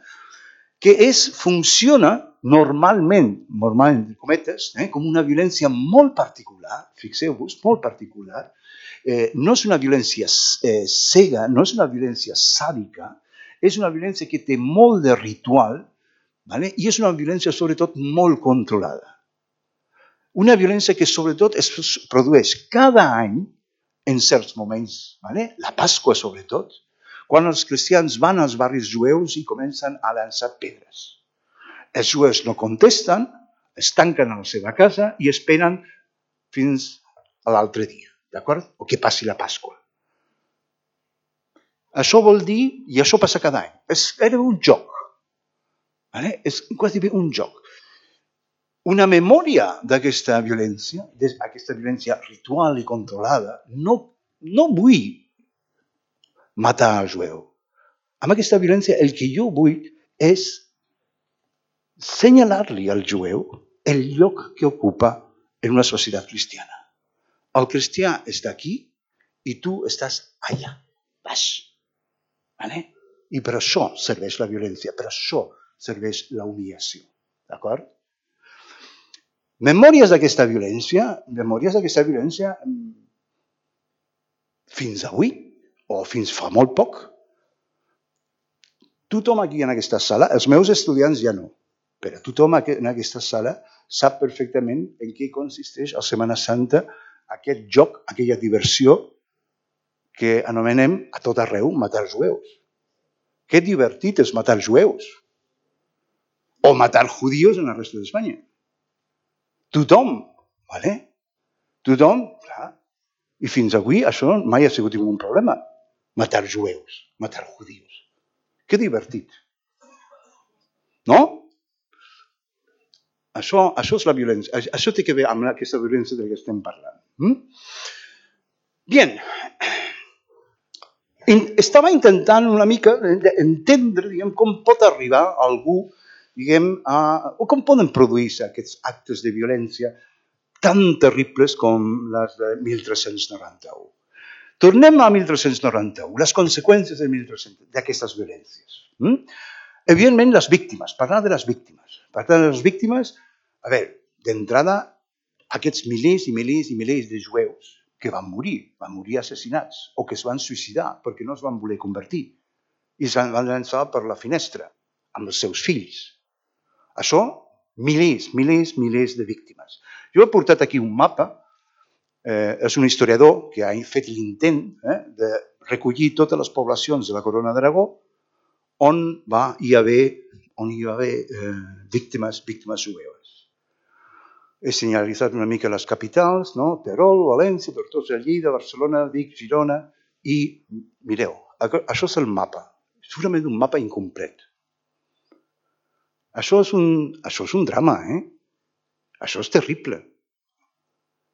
Que és, funciona normalment, normalment, cometes, eh? Com una violència molt particular, fixeu-vos, molt particular. Eh, no és una violència eh, cega, no és una violència sàdica, és una violència que té molt de ritual, ¿vale? I és una violència sobretot molt controlada. Una violència que sobretot es produeix cada any en certs moments, ¿vale? La Pasqua sobretot, quan els cristians van als barris jueus i comencen a llançar pedres. Els jueus no contesten, es tanquen a la seva casa i esperen fins a l'altre dia, d'acord? O que passi la Pasqua. Això vol dir, i això passa cada any, és gairebé un joc, ¿vale? És quasi bé un joc. Una memòria d'aquesta violència, d'aquesta violència ritual i controlada, no, no vull matar el jueu. Amb aquesta violència el que jo vull és senyalar-li al jueu el lloc que ocupa en una societat cristiana. El cristià està aquí i tu estàs allà, baix. ¿Vale? I per això serveix la violència, per això serveix la humiliació. D'acord? Memòries d'aquesta violència, memòries d'aquesta violència fins avui, o fins fa molt poc. Tothom aquí en aquesta sala, els meus estudiants ja no, però tothom en aquesta sala sap perfectament en què consisteix a Setmana Santa aquest joc, aquella diversió que anomenem a tot arreu matar jueus. Que divertit és matar jueus. O matar judíos en la resta d'Espanya. Tothom, ¿vale? Tothom, clar. I fins avui això mai ha sigut un problema. Matar jueus, matar judíos. Que divertit. No? Això, això és la violència. Això té que veure amb aquesta violència de la que estem parlant. ¿Mm? Bien. Estava intentant una mica entendre, diguem, com pot arribar algú, diguem, a, o com poden produir-se aquests actes de violència tan terribles com les de mil tres-cents noranta-u. Tornem a mil tres-cents noranta-u, les conseqüències de mil tres-cents d'aquestes violències. Evidentment, les víctimes, parlar de les víctimes. Parlar de les víctimes, a veure, d'entrada, aquests milers i milers i milers de jueus que van morir, van morir assassinats o que es van suïcidar perquè no es van voler convertir i es van llançar per la finestra amb els seus fills. Això, milers, milers, milers de víctimes. Jo he portat aquí un mapa, eh, és un historiador que ha fet l'intent eh, de recollir totes les poblacions de la Corona d'Aragó on va hi haver, on hi va haver eh, víctimes, víctimes jueves. He senyalitzat una mica les capitals, no? Terol, València, Tortosa, Lleida, Barcelona, Vic, Girona i, mireu, això és el mapa. Segurament un mapa incomplet. Això és un, això és un drama, eh? Això és terrible.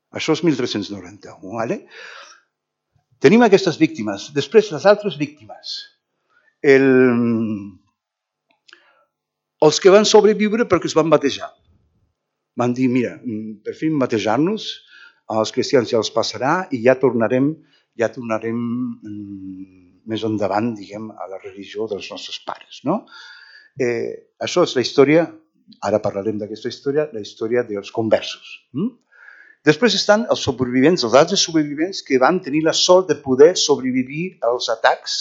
Això és mil tres-cents noranta-u, ¿vale? Tenim aquestes víctimes. Després, les altres víctimes. El... Els que van sobreviure perquè es van batejar. Van dir, mira, per fi batejar-nos, als cristians ja els passarà i ja tornarem, ja tornarem més endavant, diguem, a la religió dels nostres pares, no? Eh, això és la història, ara parlarem d'aquesta història, la història dels conversos. Mm? Després estan els supervivents, els altres supervivents que van tenir la sort de poder sobreviure als atacs,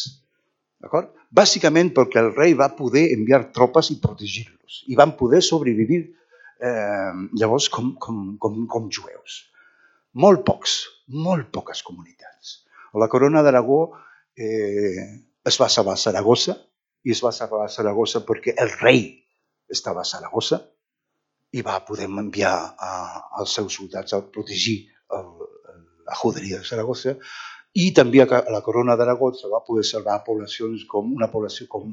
d'acord? Bàsicament perquè el rei va poder enviar tropes i protegir-los i van poder sobreviure eh, llavors com, com, com, com jueus. Molt pocs, molt poques comunitats. La Corona d'Aragó eh, es va salvar a Saragossa i es va salvar a Saragossa perquè el rei estava a Saragossa i va poder enviar a, als seus soldats a protegir el, la juderia de Saragossa i també a la Corona d'Aragó se va poder salvar poblacions com una població com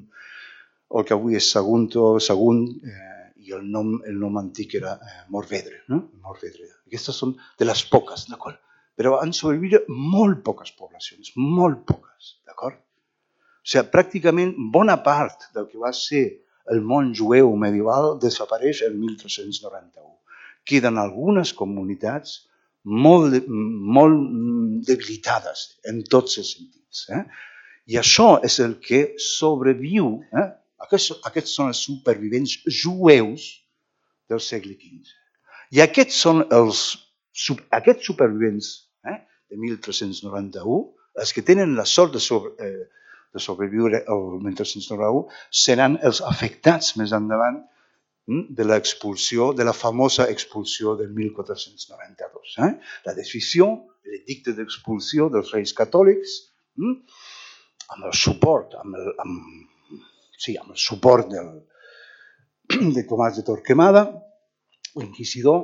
el que avui és Sagunto, Sagunt eh, i el nom, el nom antic era eh, Morvedre, no? Morvedre. Aquestes són de les poques, d'acord? Però han sobreviscut molt poques poblacions, molt poques, d'acord? O sigui, pràcticament bona part del que va ser el món jueu medieval desapareix en mil tres-cents noranta-u. Queden algunes comunitats molt, molt debilitades en tots els sentits. Eh? I això és el que sobreviu. Eh? Aquests, aquests són els supervivents jueus del segle quinze. I aquests són els aquests supervivents eh, de mil tres-cents noranta-u, els que tenen la sort de, sobre, eh, de sobreviure el mil tres-cents noranta-u, seran els afectats més endavant de l'expulsió, de la famosa expulsió del mil quatre-cents noranta-dos. Eh? La decisió, l'edicte d'expulsió dels reis catòlics, hm? amb el suport, amb el, amb, sí, amb el suport del, de Tomàs de Torquemada, l'inquisidor,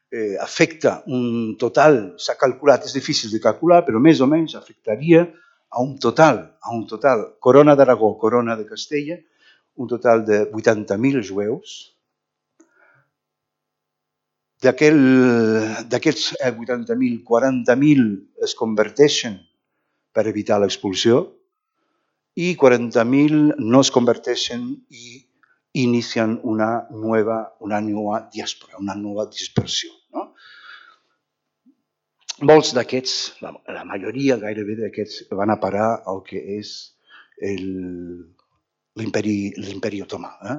eh, afecta un total, s'ha calculat, és difícil de calcular, però més o menys afectaria a un total, a un total, Corona d'Aragó, Corona de Castella, un total de vuitanta mil jueus. D'aquests vuitanta mil, quaranta mil es converteixen per evitar l'expulsió i quaranta mil no es converteixen i inicien una nova, una nova diàspora, una nova dispersió. No? Molts d'aquests, la, la majoria gairebé d'aquests, van a parar al que és l'imperi otomà, eh?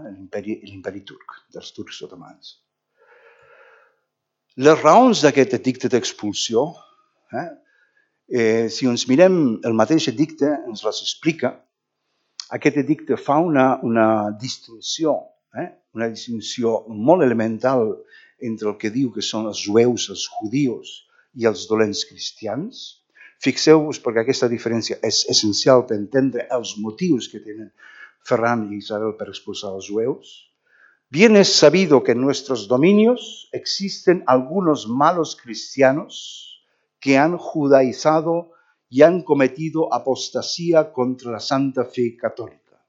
l'imperi turc, dels turcs otomans. Les raons d'aquest edicte d'expulsió, eh? Eh, si ens mirem el mateix edicte, ens les explica. Aquest edicte fa una, una distinció, eh? una distinció molt elemental entre el que diu que són els jueus, els judios i els dolents cristians. Fixeu-vos perquè aquesta diferència és essencial per entendre els motius que tenen Ferran y Isabel para expulsar a los jueus. Bien es sabido que en nuestros dominios existen algunos malos cristianos que han judaizado y han cometido apostasía contra la santa fe católica.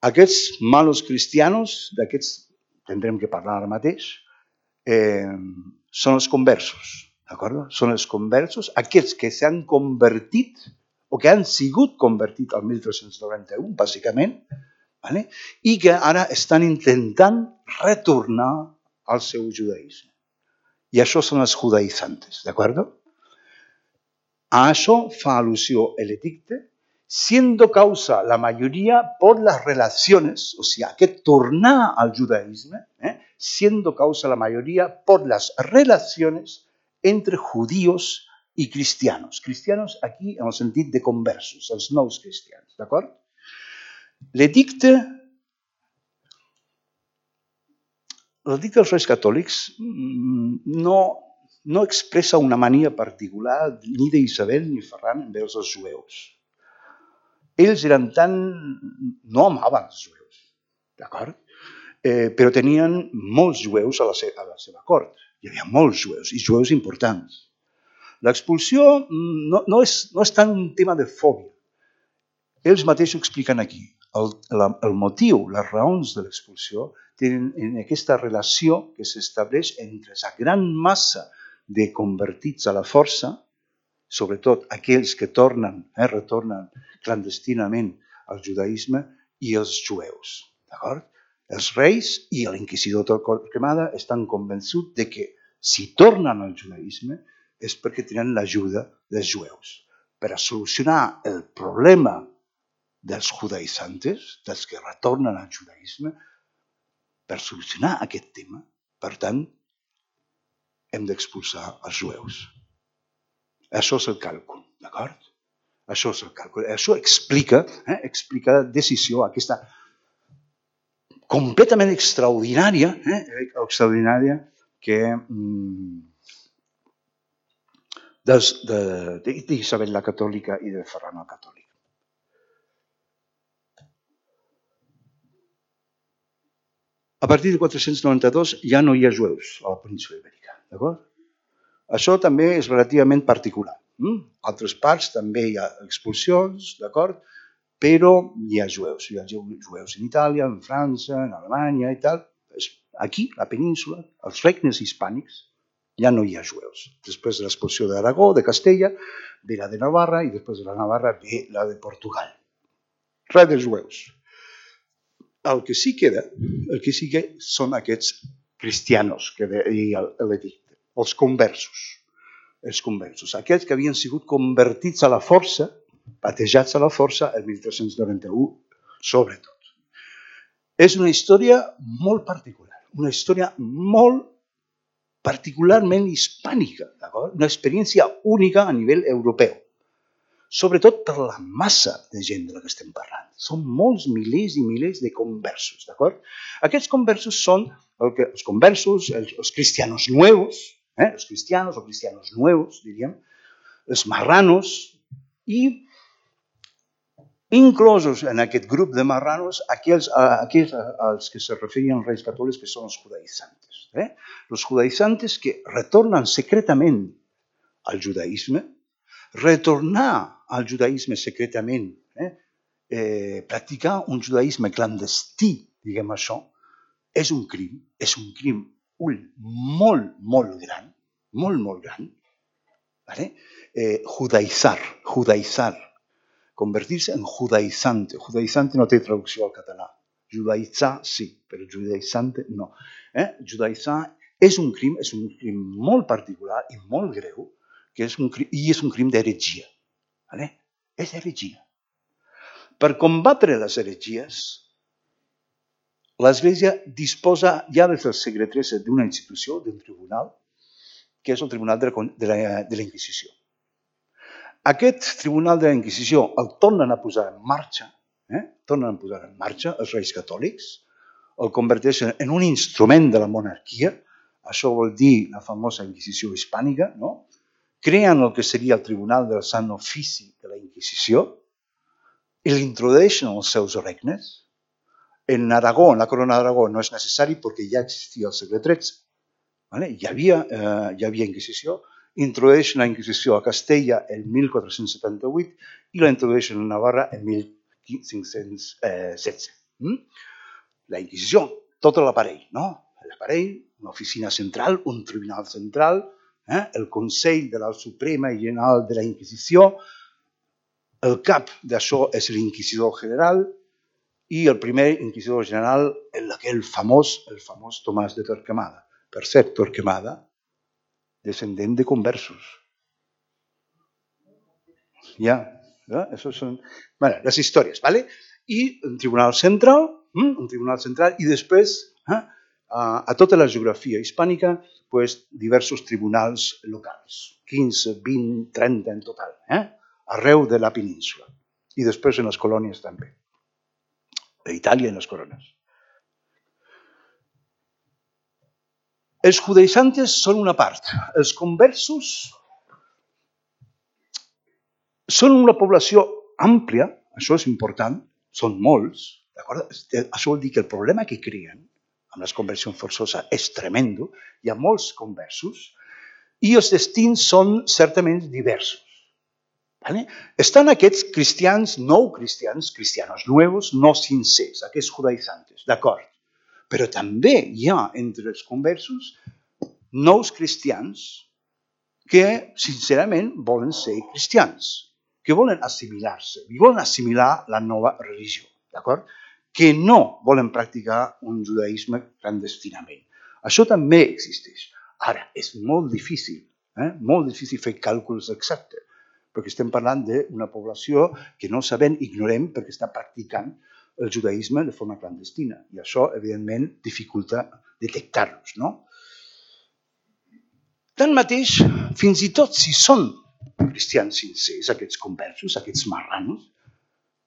Aquests malos cristianos, d'aquests tindrem que parlar ara mateix, eh, són els conversos, d'acord? Són els conversos, aquests que s'han convertit o que han sigut convertits al mil tres-cents noranta-u, bàsicament, vale? I que ara estan intentant retornar al seu judaïsme. I això són els judaïtzantes, d'acord? A això fa al·lusió l'edicte. siendo causa la mayoría por las relaciones, o sea, que tornar al judaísmo, eh, siendo causa la mayoría por las relaciones entre judíos i cristianos. Cristianos aquí en el sentit de conversos, els nous cristians, d'acord? L'edicte, l'edicte dels Reis Catòlics no, no expressa una mania particular ni d'Isabel ni Ferran envers els jueus. Ells eren tan... no amaven els jueus, d'acord? Eh, però tenien molts jueus a la, se a la seva cort. Hi havia molts jueus, i jueus importants. L'expulsió no, no, és, no és tant un tema de fòbia. Ells mateixos expliquen aquí. El, la, el motiu, les raons de l'expulsió tenen en aquesta relació que s'estableix entre la gran massa de convertits a la força, sobretot aquells que tornen, eh, retornen clandestinament al judaïsme, i els jueus. D'acord? Els reis i l'inquisidor Torquemada estan convençuts de que si tornen al judaïsme és perquè tenen l'ajuda dels jueus per a solucionar el problema dels judaïtzantes, dels que retornen al judaïsme, per solucionar aquest tema. Per tant, hem d'expulsar els jueus. Això és el càlcul, d'acord? Això és el càlcul. Això explica, eh, explica la decisió, aquesta completament extraordinària, eh, extraordinària que mm, d'Isabel la Catòlica i de Ferran el Catòlic. A partir de quatre-cents noranta-dos ja no hi ha jueus a la península ibèrica, d'acord? Això també és relativament particular. A altres parts també hi ha expulsions, d'acord? Però hi ha jueus. Hi ha jueus en Itàlia, en França, en Alemanya i tal. Aquí, a la península, als regnes hispànics, ja no hi ha jueus. Després de l'expulsió d'Aragó, de Castella, ve la de Navarra i després de la Navarra ve la de Portugal. Res de jueus. El que sí queda, el que sí que són aquests cristianos que deia l'edicte, els conversos. Els conversos, aquells que havien sigut convertits a la força, batejats a la força el mil tres-cents noranta-u, sobretot. És una història molt particular, una història molt particularment hispànica, una experiència única a nivell europeu, sobretot per la massa de gent de la que estem parlant. Són molts milers i milers de conversos, d'acord? Aquests conversos són el que, els conversos, els, els cristianos nuevos, eh? els cristianos o cristianos nuevos, diríem, els marranos, i inclosos en aquest grup de marranos aquells, aquells als que se referien els reis catòlics, que són els judaïtzantes. Eh? Els judaïtzantes que retornen secretament al judaïsme, retornar al judaïsme secretament, eh? Eh, practicar un judaïsme clandestí, diguem això, és un crim, és un crim ull, molt, molt gran, molt, molt gran. ¿Vale? Eh, judaïtzar, judaïtzar, convertir-se en judaïtzante. Judaïtzante no té traducció al català. Judaïtzar sí, però judaïtzante no. Eh? Judaïtzar és un crim, és un crim molt particular i molt greu, que és un crim, i és un crim d'heretgia. ¿Vale? És heretgia. Per combatre les heretgies, l'Església disposa ja des del segle tretze d'una institució, d'un tribunal, que és el Tribunal de la, de la, de la Inquisició. Aquest Tribunal de la Inquisició el tornen a posar en marxa, eh? tornen a posar en marxa els reis catòlics, el converteixen en un instrument de la monarquia, això vol dir la famosa Inquisició hispànica, no? Creen el que seria el Tribunal del Sant Ofici de la Inquisició i l'introdueixen als seus regnes. En Aragó, en la corona d'Aragó, no és necessari perquè ja existia al segle tretze. Vale? Hi havia, eh, hi havia Inquisició, introdueixen la Inquisició a Castella el mil quatre-cents setanta-vuit i la introdueixen a Navarra el mil cinc-cents setze. Mm? La Inquisició, tot l'aparell, no? L'aparell, una oficina central, un tribunal central, eh? el Consell de la Suprema i General de la Inquisició, el cap d'això és l'inquisidor general i el primer inquisidor general, aquell famós, el famós Tomàs de Torquemada. Per cert, Torquemada, descendent de conversos. Ja, ¿no? Esos son bueno, las historias, ¿vale? Y un tribunal central, ¿eh? un tribunal central, i després, eh, a, a tota la geografia hispànica, pues, diversos tribunals locals, quinze, vint, trenta en total, eh? arreu de la península. I després en les colònies també, a Itàlia en les colònies. Els judaïsantes són una part. Els conversos són una població àmplia, això és important, són molts, d'acord? Això vol dir que el problema que creen amb les conversions forçoses és tremendo, hi ha molts conversos, i els destins són certament diversos. ¿Vale? Estan aquests cristians, nou cristians, cristianos nuevos, no sincers, aquests judaïsantes, d'acord? Però també hi ha entre els conversos nous cristians que, sincerament, volen ser cristians, que volen assimilar-se, i volen assimilar la nova religió, d'acord? Que no volen practicar un judaïsme clandestinament. Això també existeix. Ara, és molt difícil, eh? molt difícil fer càlculs exactes, perquè estem parlant d'una població que no sabem, ignorem, perquè està practicant el judaïsme de forma clandestina. I això, evidentment, dificulta detectar-los, no? Tanmateix, fins i tot si són cristians sincers, aquests conversos, aquests marranos,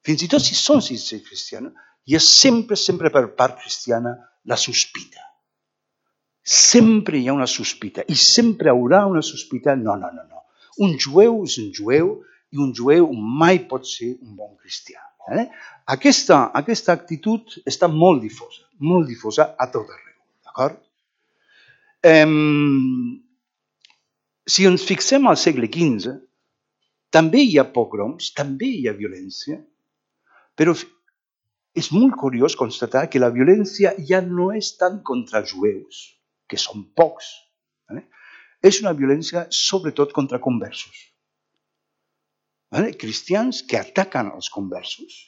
fins i tot si són sincers cristians, hi ha sempre, sempre per part cristiana la sospita. Sempre hi ha una sospita i sempre hi haurà una sospita, no, no, no, no. Un jueu és un jueu i un jueu mai pot ser un bon cristià. Eh? Aquesta, aquesta actitud està molt difosa, molt difosa a tot arreu, d'acord? Eh, Si ens fixem al segle quinze, també hi ha pogroms, també hi ha violència, però és molt curiós constatar que la violència ja no és tant contra els jueus, que són pocs, eh? És una violència sobretot contra conversos. Eh? Cristians que ataquen els conversos,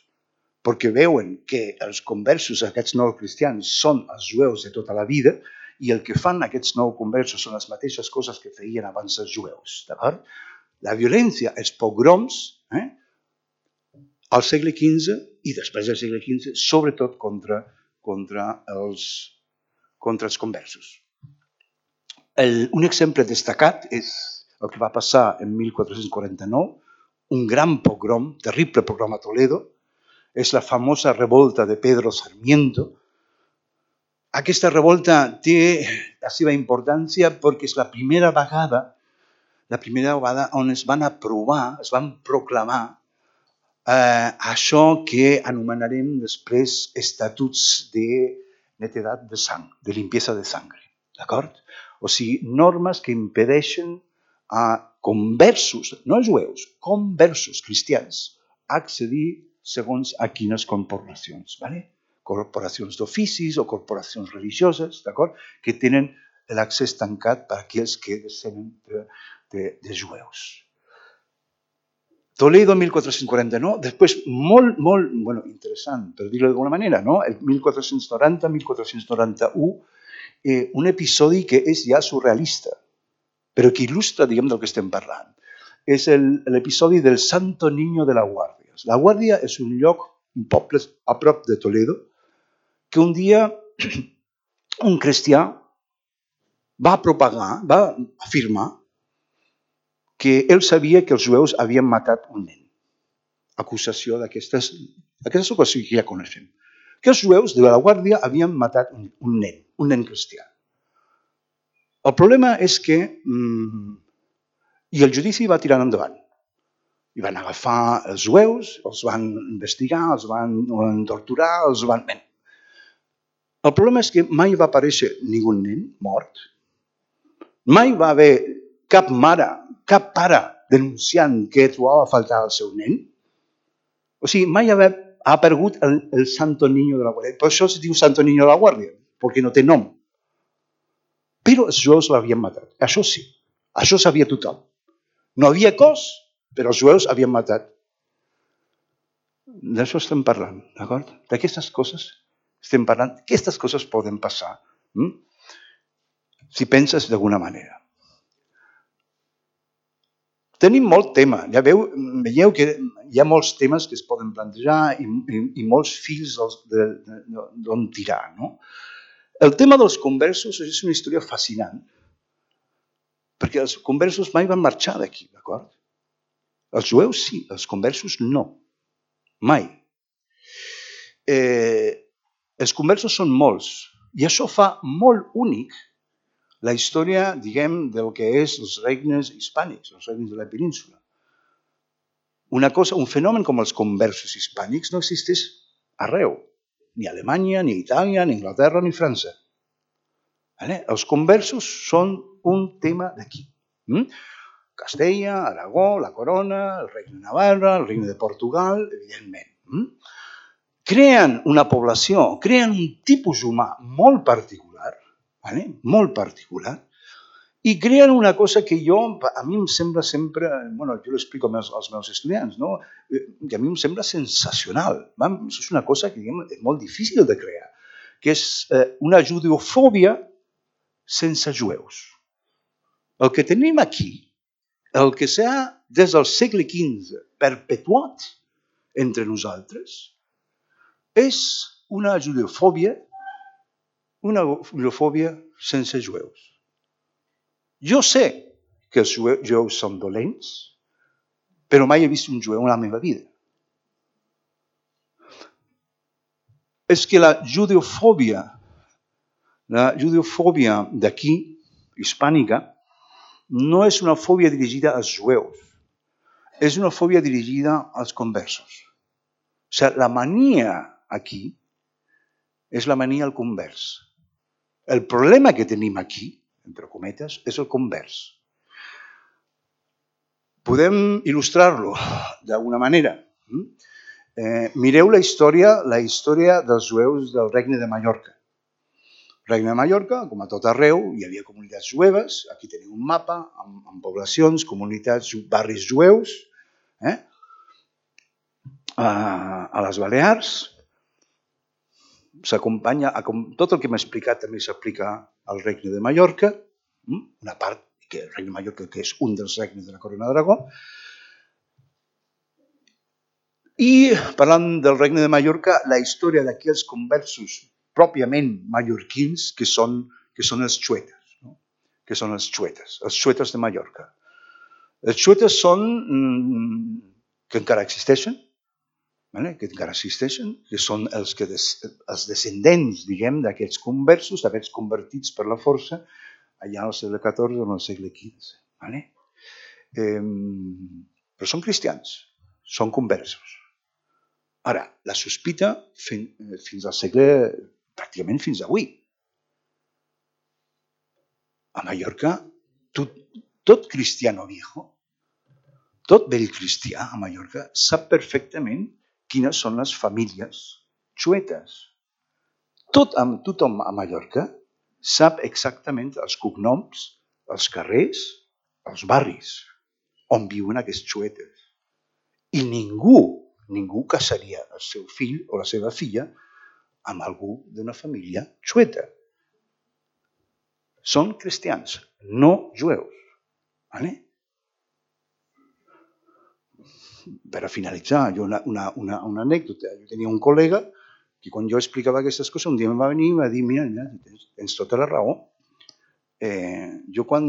perquè veuen que els conversos, aquests nous cristians, són els jueus de tota la vida, i el que fan aquests nous conversos són les mateixes coses que feien abans els jueus. D'acord? La violència, els pogroms, eh, al segle quinze i després del segle quinze, sobretot contra, contra, els, contra els conversos. El, un exemple destacat és el que va passar en mil quatre-cents quaranta-nou, un gran pogrom, terrible pogrom a Toledo, és la famosa revolta de Pedro Sarmiento. Aquesta revolta té la seva importància perquè és la primera vegada, la primera vegada on es van aprovar, es van proclamar eh, això que anomenarem després estatuts de netedat de sang, de limpieza de sangre, d'acord? O sigui, normes que impedeixen a conversos, no jueus, conversos cristians, accedir segons a quines corporacions, ¿vale? Corporacions d'oficis o corporacions religioses, d'acord? Que tenen l'accés tancat per a aquells que descenen de, de, de jueus. Toledo, mil quatre-cents quaranta-nou, després molt, molt, bueno, interessant, per dir-ho d'alguna manera, no? El mil quatre-cents noranta, mil quatre-cents noranta-u, eh, un episodi que és ja surrealista, però que il·lustra, diguem, del que estem parlant. És l'episodi del Santo Niño de la Guàrdia. La Guàrdia és un lloc, un poble a prop de Toledo, que un dia un cristià va propagar, va afirmar que ell sabia que els jueus havien matat un nen. Acusació d'aquestes, aquestes ocasions que ja coneixem. Que els jueus de la Guàrdia havien matat un, un nen, un nen cristià. El problema és que mmm, i el judici va tirar endavant. I van agafar els jueus, els van investigar, els van torturar, els van... Bé. El problema és que mai va aparèixer ningú nen mort. Mai va haver cap mare, cap pare denunciant que trobava a faltar el seu nen. O sigui, mai ha aparegut el, el Santo Niño de la Guàrdia. Per això es diu Santo Niño de la Guàrdia, perquè no té nom. Però els jueus l'havien matat. Això sí, això sabia tothom. No havia cos, però els jueus havien matat. D'això estem parlant, d'acord? D'aquestes coses estem parlant. Aquestes coses poden passar, hm? Si penses d'alguna manera. Tenim molt tema. Ja veu, veieu que hi ha molts temes que es poden plantejar i, i, i molts fils d'on tirar. No? El tema dels conversos és una història fascinant, perquè els conversos mai van marxar d'aquí, d'acord? Els jueus sí, els conversos no. Mai. Eh, els conversos són molts i això fa molt únic la història, diguem, del que és els regnes hispànics, els regnes de la península. Una cosa, un fenomen com els conversos hispànics no existeix arreu, ni a Alemanya, ni a Itàlia, ni a Anglaterra, ni a França. Vale? Els conversos són un tema d'aquí. Mm? Castella, Aragó, la Corona, el Regne de Navarra, el Regne de Portugal, evidentment. Mm? Creen una població, creen un tipus humà molt particular, vale? Molt particular, i creen una cosa que jo, a mi em sembla sempre, bueno, jo l'explico als, als meus estudiants, no? Que a mi em sembla sensacional. Va? Això és una cosa que diguem, és molt difícil de crear, que és eh, una judeofòbia sense jueus. El que tenim aquí, el que s'ha des del segle quinze perpetuat entre nosaltres, és una judeofòbia, una judeofòbia sense jueus. Jo sé que els jueus són dolents, però mai he vist un jueu en la meva vida. És que la judeofòbia, la judeofòbia d'aquí, hispànica, no és una fòbia dirigida als jueus, és una fòbia dirigida als conversos. O sigui, la mania aquí és la mania al convers. El problema que tenim aquí, entre cometes, és el convers. Podem il·lustrar-lo d'alguna manera. Eh, mireu la història, la història dels jueus del Regne de Mallorca. El Regne de Mallorca, com a tot arreu, hi havia comunitats jueves. Aquí teniu un mapa amb, amb poblacions, comunitats, barris jueus. Eh? A, a les Balears s'acompanya, tot el que m'he explicat també s'aplica al Regne de Mallorca, una part que el Regne de Mallorca, que és un dels regnes de la Corona d'Aragó. I parlant del Regne de Mallorca, la història d'aquells conversos pròpiament mallorquins, que són, que són els xuetes, no? que són els xuetes, els xuetes de Mallorca. Els xuetes són, que encara existeixen, vale? que encara existeixen, que són els, que des, els descendents, diguem, d'aquests conversos, d'aquests convertits per la força, allà al segle catorze o al segle quinze. Vale? Eh, però són cristians, són conversos. Ara, la sospita fin, fins al segle, pràcticament fins avui. A Mallorca, tot, tot cristiano viejo, tot vell cristià a Mallorca, sap perfectament quines són les famílies xuetes. Tot, tothom a Mallorca sap exactament els cognoms, els carrers, els barris, on viuen aquests xuetes. I ningú, ningú casaria el seu fill o la seva filla amb algú d'una família xueta. Són cristians, no jueus. Vale? Per a finalitzar, jo una, una, una, una anècdota. Jo tenia un col·lega que quan jo explicava aquestes coses, un dia em va venir i va dir, mira, mira tens, tens tota la raó. Eh, jo quan,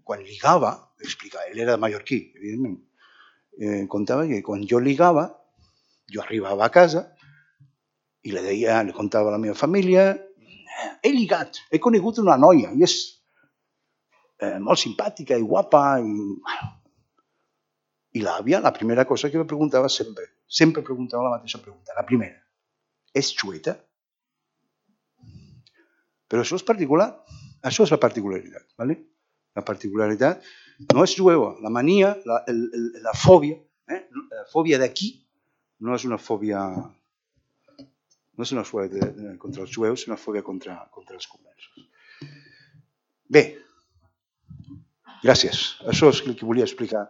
quan ligava, explicava, ell era mallorquí, evidentment, eh, contava que quan jo ligava, jo arribava a casa i li deia, li contava a la meva família, he ligat, he conegut una noia i és eh, molt simpàtica i guapa i... I l'àvia, la primera cosa que me preguntava sempre, sempre preguntava la mateixa pregunta, la primera, és xueta? Però això és particular, això és la particularitat, ¿vale? La particularitat no és jueva, la mania, la, el, el, la fòbia, eh? la fòbia d'aquí no és una fòbia, no és una fòbia de, de, contra els jueus, és una fòbia contra, contra els conversos. Bé, gràcies, això és el que volia explicar.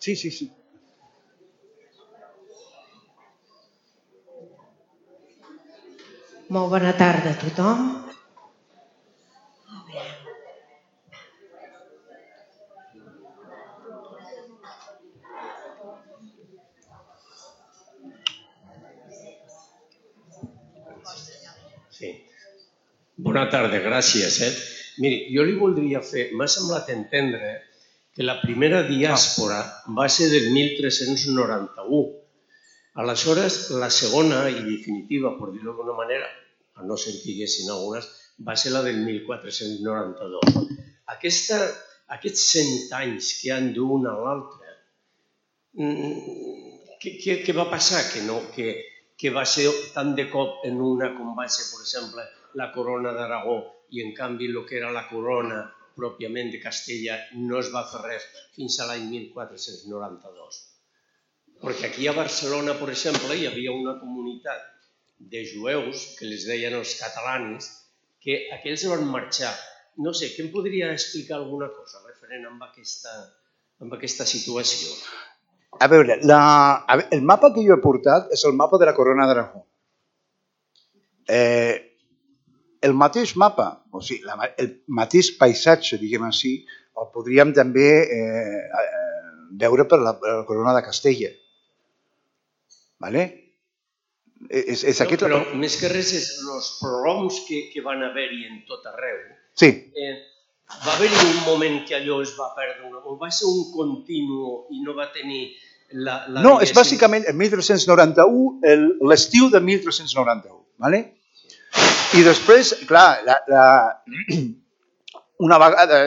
Sí, sí, sí.
Molt bona tarda a tothom.
Sí. Bona tarda, gràcies. Eh? Miri, jo li voldria fer... M'ha semblat entendre que la primera diàspora va ser del mil tres-cents noranta-u. Aleshores, la segona i definitiva, per dir-ho d'alguna manera, a no ser que hi haguessin algunes, va ser la del mil quatre-cents noranta-dos. Aquesta, aquests cent anys que han d'un a l'altre, què, què, què va passar? Que, no, que, que va ser tant de cop en una com va ser, per exemple, la corona d'Aragó i en canvi el que era la corona pròpiament de Castella no es va fer res fins a l'any mil quatre-cents noranta-dos. Perquè aquí a Barcelona, per exemple, hi havia una comunitat de jueus, que les deien els catalanes, que aquells van marxar. No sé, què em podria explicar alguna cosa referent amb aquesta, amb aquesta situació?
A veure, la, el mapa que jo he portat és el mapa de la Corona d'Aragó. Eh, el mateix mapa, o sigui, la, el mateix paisatge, diguem així, el podríem també eh, veure per la, per la Corona de Castella. Vale? És, és
no,
aquest...
Però més que res és els prohoms que, que van haver-hi en tot arreu.
Sí.
Eh, va haver-hi un moment que allò es va perdre, o va ser un continu i no va tenir la... la
no, és bàsicament el mil tres-cents noranta-u, l'estiu de mil tres-cents noranta-u. Vale? I després, clar, la, la, una vegada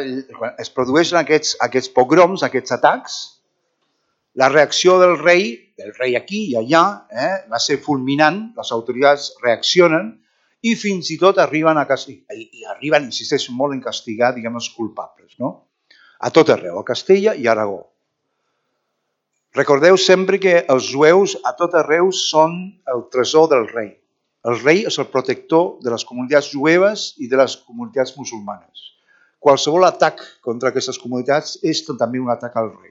es produeixen aquests, aquests pogroms, aquests atacs, la reacció del rei, del rei aquí i allà, eh, va ser fulminant, les autoritats reaccionen i fins i tot arriben a castigar, i arriben, insisteixo molt en castigar, diguem, els culpables, no? A tot arreu, a Castella i a Aragó. Recordeu sempre que els jueus a tot arreu són el tresor del rei. El rei és el protector de les comunitats jueves i de les comunitats musulmanes. Qualsevol atac contra aquestes comunitats és també un atac al rei.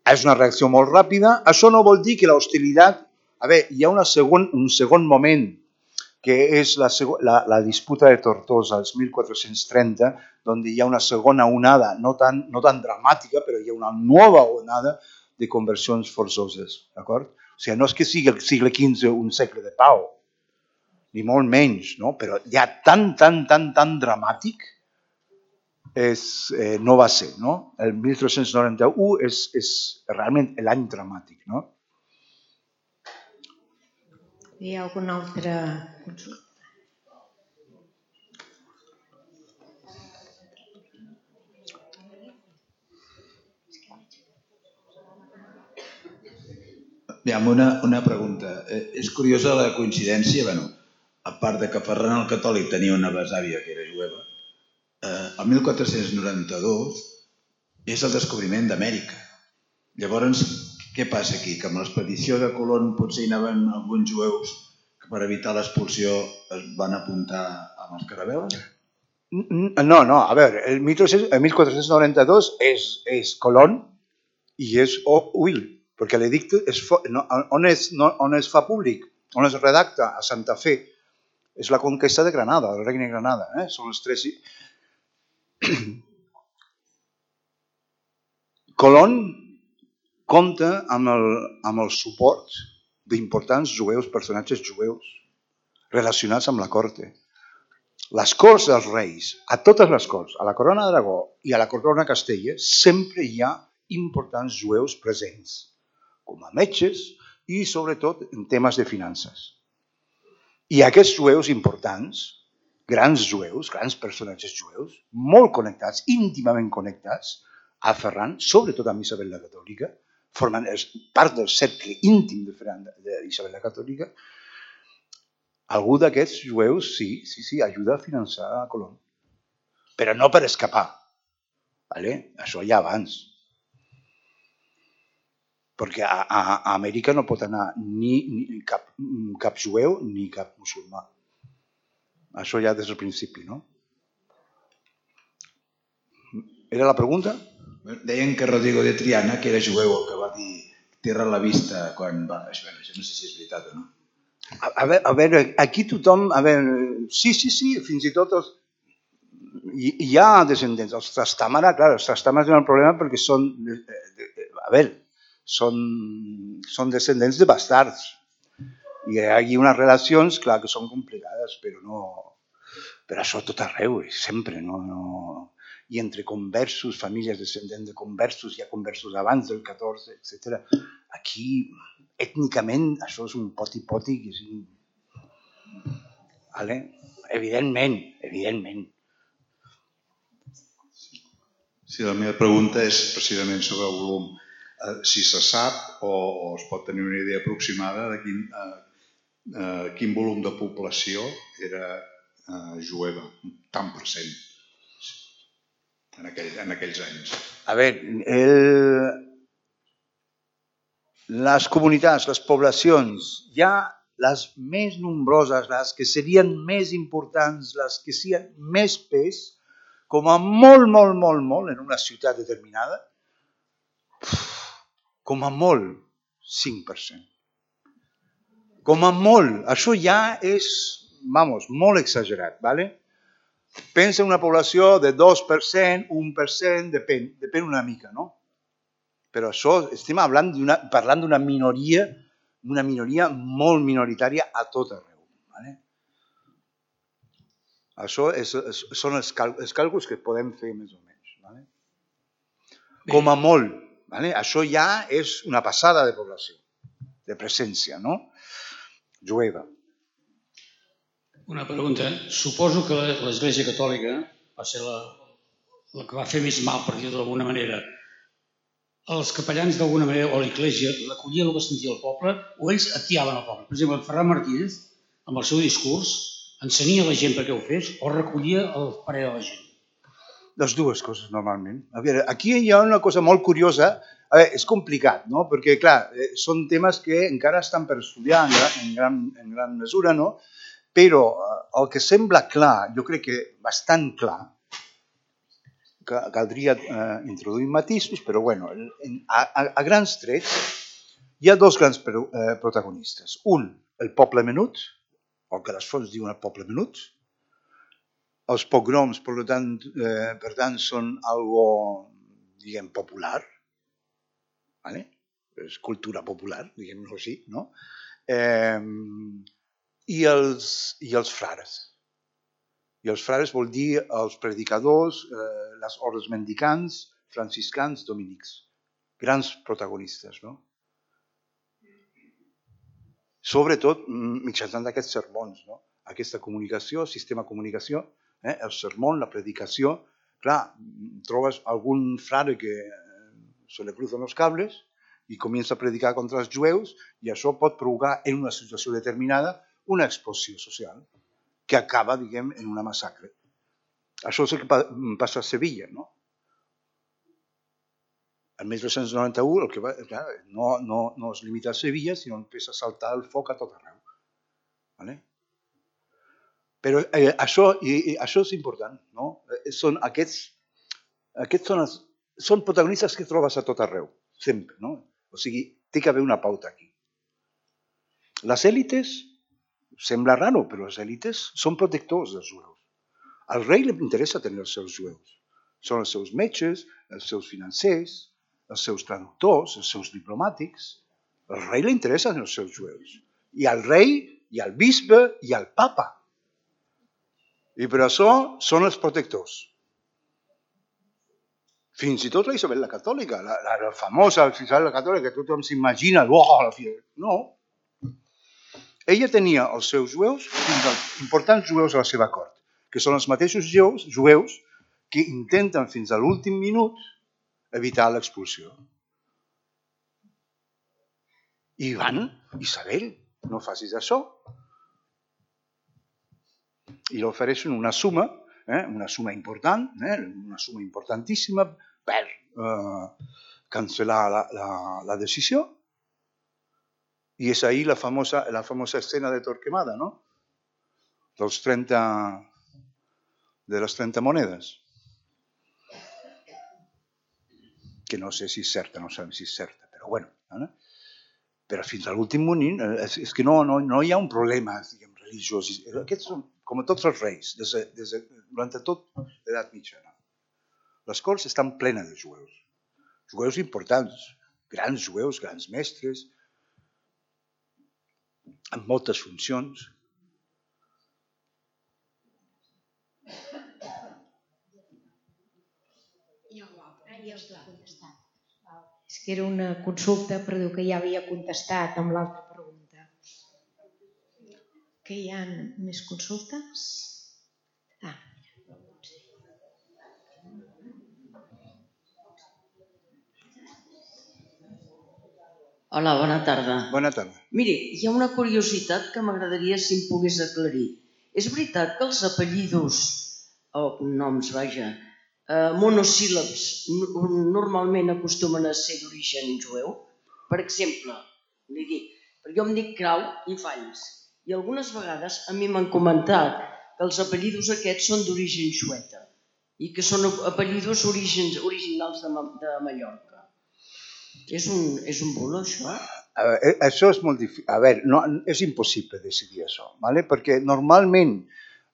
És una reacció molt ràpida. Això no vol dir que l'hostilitat... A veure, hi ha una segon, un segon moment, que és la, la, la disputa de Tortosa, els mil quatre-cents trenta, on hi ha una segona onada, no tan, no tan dramàtica, però hi ha una nova onada de conversions forçoses. D'acord? O sigui, no és que sigui el segle quinze un segle de pau, ni molt menys, no? Però ja tan, tan, tan, tan dramàtic és, eh, no va ser, no? El mil tres-cents noranta-u és, és realment l'any dramàtic, no?
Hi ha alguna altra consulta?
Aviam, una, una pregunta. Eh, és curiosa la coincidència, bueno, a part de que Ferran el Catòlic tenia una besàvia que era jueva, eh, el mil quatre-cents noranta-dos és el descobriment d'Amèrica. Llavors, què passa aquí? Que amb l'expedició de Colón potser hi anaven alguns jueus que per evitar l'expulsió es van apuntar amb els carabeles?
No, no, a veure, el mil quatre-cents noranta-dos és, és Colón i és Will, perquè l'edicte és, no, on, és, no, on es fa públic, on es redacta a Santa Fe, és la conquesta de Granada, el regne de Granada. Eh? Són els tres... Colón compta amb el, amb el suport d'importants jueus, personatges jueus, relacionats amb la corte. Les corts dels reis, a totes les corts, a la corona d'Aragó i a la corona de Castella, sempre hi ha importants jueus presents, com a metges i sobretot en temes de finances. I aquests jueus importants, grans jueus, grans personatges jueus, molt connectats, íntimament connectats a Ferran, sobretot amb Isabel la Catòlica, formen part del cercle íntim d'Isabel la Catòlica, algú d'aquests jueus sí, sí, sí, ajuda a finançar a Colón. Però no per escapar. Vale? Això ja abans. Perquè a, a, a Amèrica no pot anar ni, ni cap, cap jueu ni cap musulmà. Això ja des del principi, no? Era la pregunta?
Deien que Rodrigo de Triana, que era jueu, el que va dir Tierra a la vista quan va... Això no sé si és veritat o no.
A, a, veure, a veure, aquí tothom... A veure, sí, sí, sí, fins i tot els, hi, hi ha descendents. Els Trastamara, clar, els Trastamara tenen un problema perquè són... A veure, són, són descendents de bastards. I hi ha unes relacions, clar, que són complicades, però no... Però això tot arreu, sempre, no... no... I entre conversos, famílies descendents de conversos, hi ha conversos abans del catorze, etcètera. Aquí, ètnicament, això és un poti-poti que és... Vale? Evidentment, evidentment.
Sí, la meva pregunta és precisament sobre el volum. Eh, si se sap o, o es pot tenir una idea aproximada de quin, eh, eh, quin volum de població era eh, jueva, tant per cent, en, aquell, en aquells anys.
A veure, el... les comunitats, les poblacions, ja les més nombroses, les que serien més importants, les que serien més pes, com a molt, molt, molt, molt, en una ciutat determinada, com a molt, cinc per cent. Com a molt, això ja és, vamos, molt exagerat, ¿vale? Pensa en una població de dos per cent, un per cent, depèn, depèn una mica, no? Però això, estem parlant d'una minoria, una minoria molt minoritària a tot arreu. ¿Vale? Això és, és, són els, cal, els càlculs que podem fer més o menys. ¿Vale? Com a molt. ¿Vale? Això ja és una passada de població, de presència, no? Jueva.
Una pregunta. Suposo que l'Església Catòlica va ser la, la que va fer més mal, per dir-ho d'alguna manera. Els capellans, d'alguna manera, o l'Església, recollien el que sentia el poble, o ells atiaven el poble. Per exemple, Ferran Martínez, amb el seu discurs, ensenia a la gent perquè ho fes, o recollia el parer de la gent?
Les dues coses, normalment. A veure, aquí hi ha una cosa molt curiosa. A veure, és complicat, no? Perquè, clar, són temes que encara estan per estudiar en gran, en gran mesura, no? Però el que sembla clar, jo crec que bastant clar, que caldria eh, introduir matisos, però bueno, a, a, a grans trets hi ha dos grans pro, eh, protagonistes. Un, el poble menut, el que les fonts diuen el poble menut. Els pogroms, per tant, eh, per tant són algo, diguem, popular, ¿vale? És cultura popular, diguem-ho així, no? Eh, i, els, I els frares. I els frares vol dir els predicadors, eh, les ordres mendicants, franciscans, dominics. Grans protagonistes, no? Sobretot mitjançant aquests sermons, no? Aquesta comunicació, sistema de comunicació, eh? El sermón, la predicació. Clar, trobes algun frare que se le cruzan los cables i comença a predicar contra els jueus i això pot provocar en una situació determinada una explosió social que acaba, diguem, en una massacre. Això és el que passa a Sevilla, no? El mil dos-cents noranta-u el que va, clar, no, no, no es limita a Sevilla, sinó empieza a saltar el foc a tot arreu. ¿Vale? Però eh, això, i, i, això és important, no? Són aquests, aquests són, els, són protagonistes que trobes a tot arreu, sempre, no? O sigui, té que haver una pauta aquí. Les èlites, sembla raro, però les èlites són protectors dels jueus. Al rei li interessa tenir els seus jueus. Són els seus metges, els seus financers, els seus traductors, els seus diplomàtics. Al rei li interessen els seus jueus. I al rei, i al bisbe, i al papa. I per això són els protectors. Fins i tot la Isabel la Catòlica, la, la, la famosa Isabel la Catòlica, que tothom s'imagina, oh, la fi... No. Ella tenia els seus jueus, fins als importants jueus a la seva cort, que són els mateixos jueus, jueus que intenten fins a l'últim minut evitar l'expulsió. I van, Isabel, no facis això. I li ofereixen una suma, eh, una suma important, eh, una suma importantíssima per eh, cancel·lar la, la, la decisió. I és ahí la famosa, la famosa escena de Torquemada, no? Dels trenta, de les trenta monedes. Que no sé si és certa, no sabem si és certa, però bueno. ¿no? però fins a l'últim moment és, és que no, no, no hi ha un problema, diguem, religiós. Aquests són, com a tots els reis, des de, des de, durant tot l'edat mitjana. Les corts estan plenes de jueus. Jueus importants, grans jueus, grans mestres, amb moltes funcions.
És que era una consulta, però diu que ja havia contestat amb l'altra pregunta. Que hi ha més consultes? Ah,
Hola, bona tarda.
Bona tarda.
Miri, hi ha una curiositat que m'agradaria si em pogués aclarir. És veritat que els apellidos, o cognoms, vaja, eh, monosíl·labs normalment acostumen a ser d'origen jueu? Per exemple, li dic, perquè jo em dic Grau i Valls, i algunes vegades a mi m'han comentat que els apellidos aquests són d'origen xueta i que són apellidos orígens, originals de, de Mallorca. És un, és un bulo, això?
A veure, això és molt difícil. A veure, no, és impossible decidir això, ¿vale? Perquè normalment,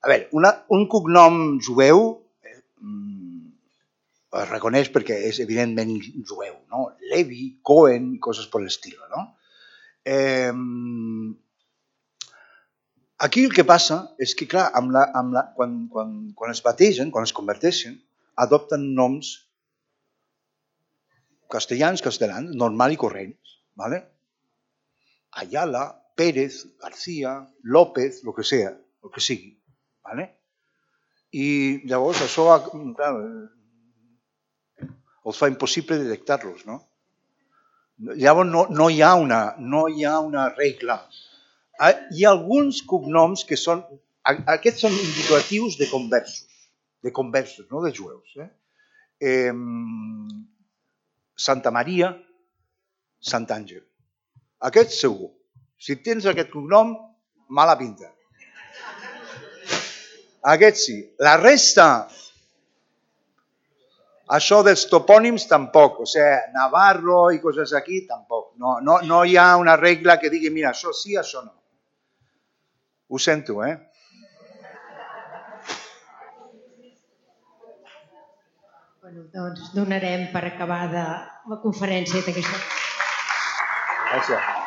a veure, una, un cognom jueu eh, es reconeix perquè és evidentment jueu, no? Levi, Cohen, coses per l'estil, no? Eh, aquí el que passa és que, clar, amb la, amb la, quan, quan, quan es bategen, quan es converteixen, adopten noms castellans, castellans, normal i corrents, ¿vale? Ayala, Pérez, García, López, lo que sea, el que sigui, ¿vale? I llavors això, clar, els fa impossible detectar-los, no? Llavors no, no, hi ha una, no hi ha una regla. Hi ha alguns cognoms que són, aquests són indicatius de conversos, de conversos, no de jueus, eh? Eh, Santa Maria, Sant Àngel. Aquest segur. Si tens aquest cognom, mala pinta. Aquest sí. La resta, això dels topònims tampoc. O sigui, Navarro i coses aquí, tampoc. No, no, no hi ha una regla que digui, mira, això sí, això no. Ho sento, eh?
Bueno, doncs donarem per acabada la conferència d'aquesta.
Gràcies.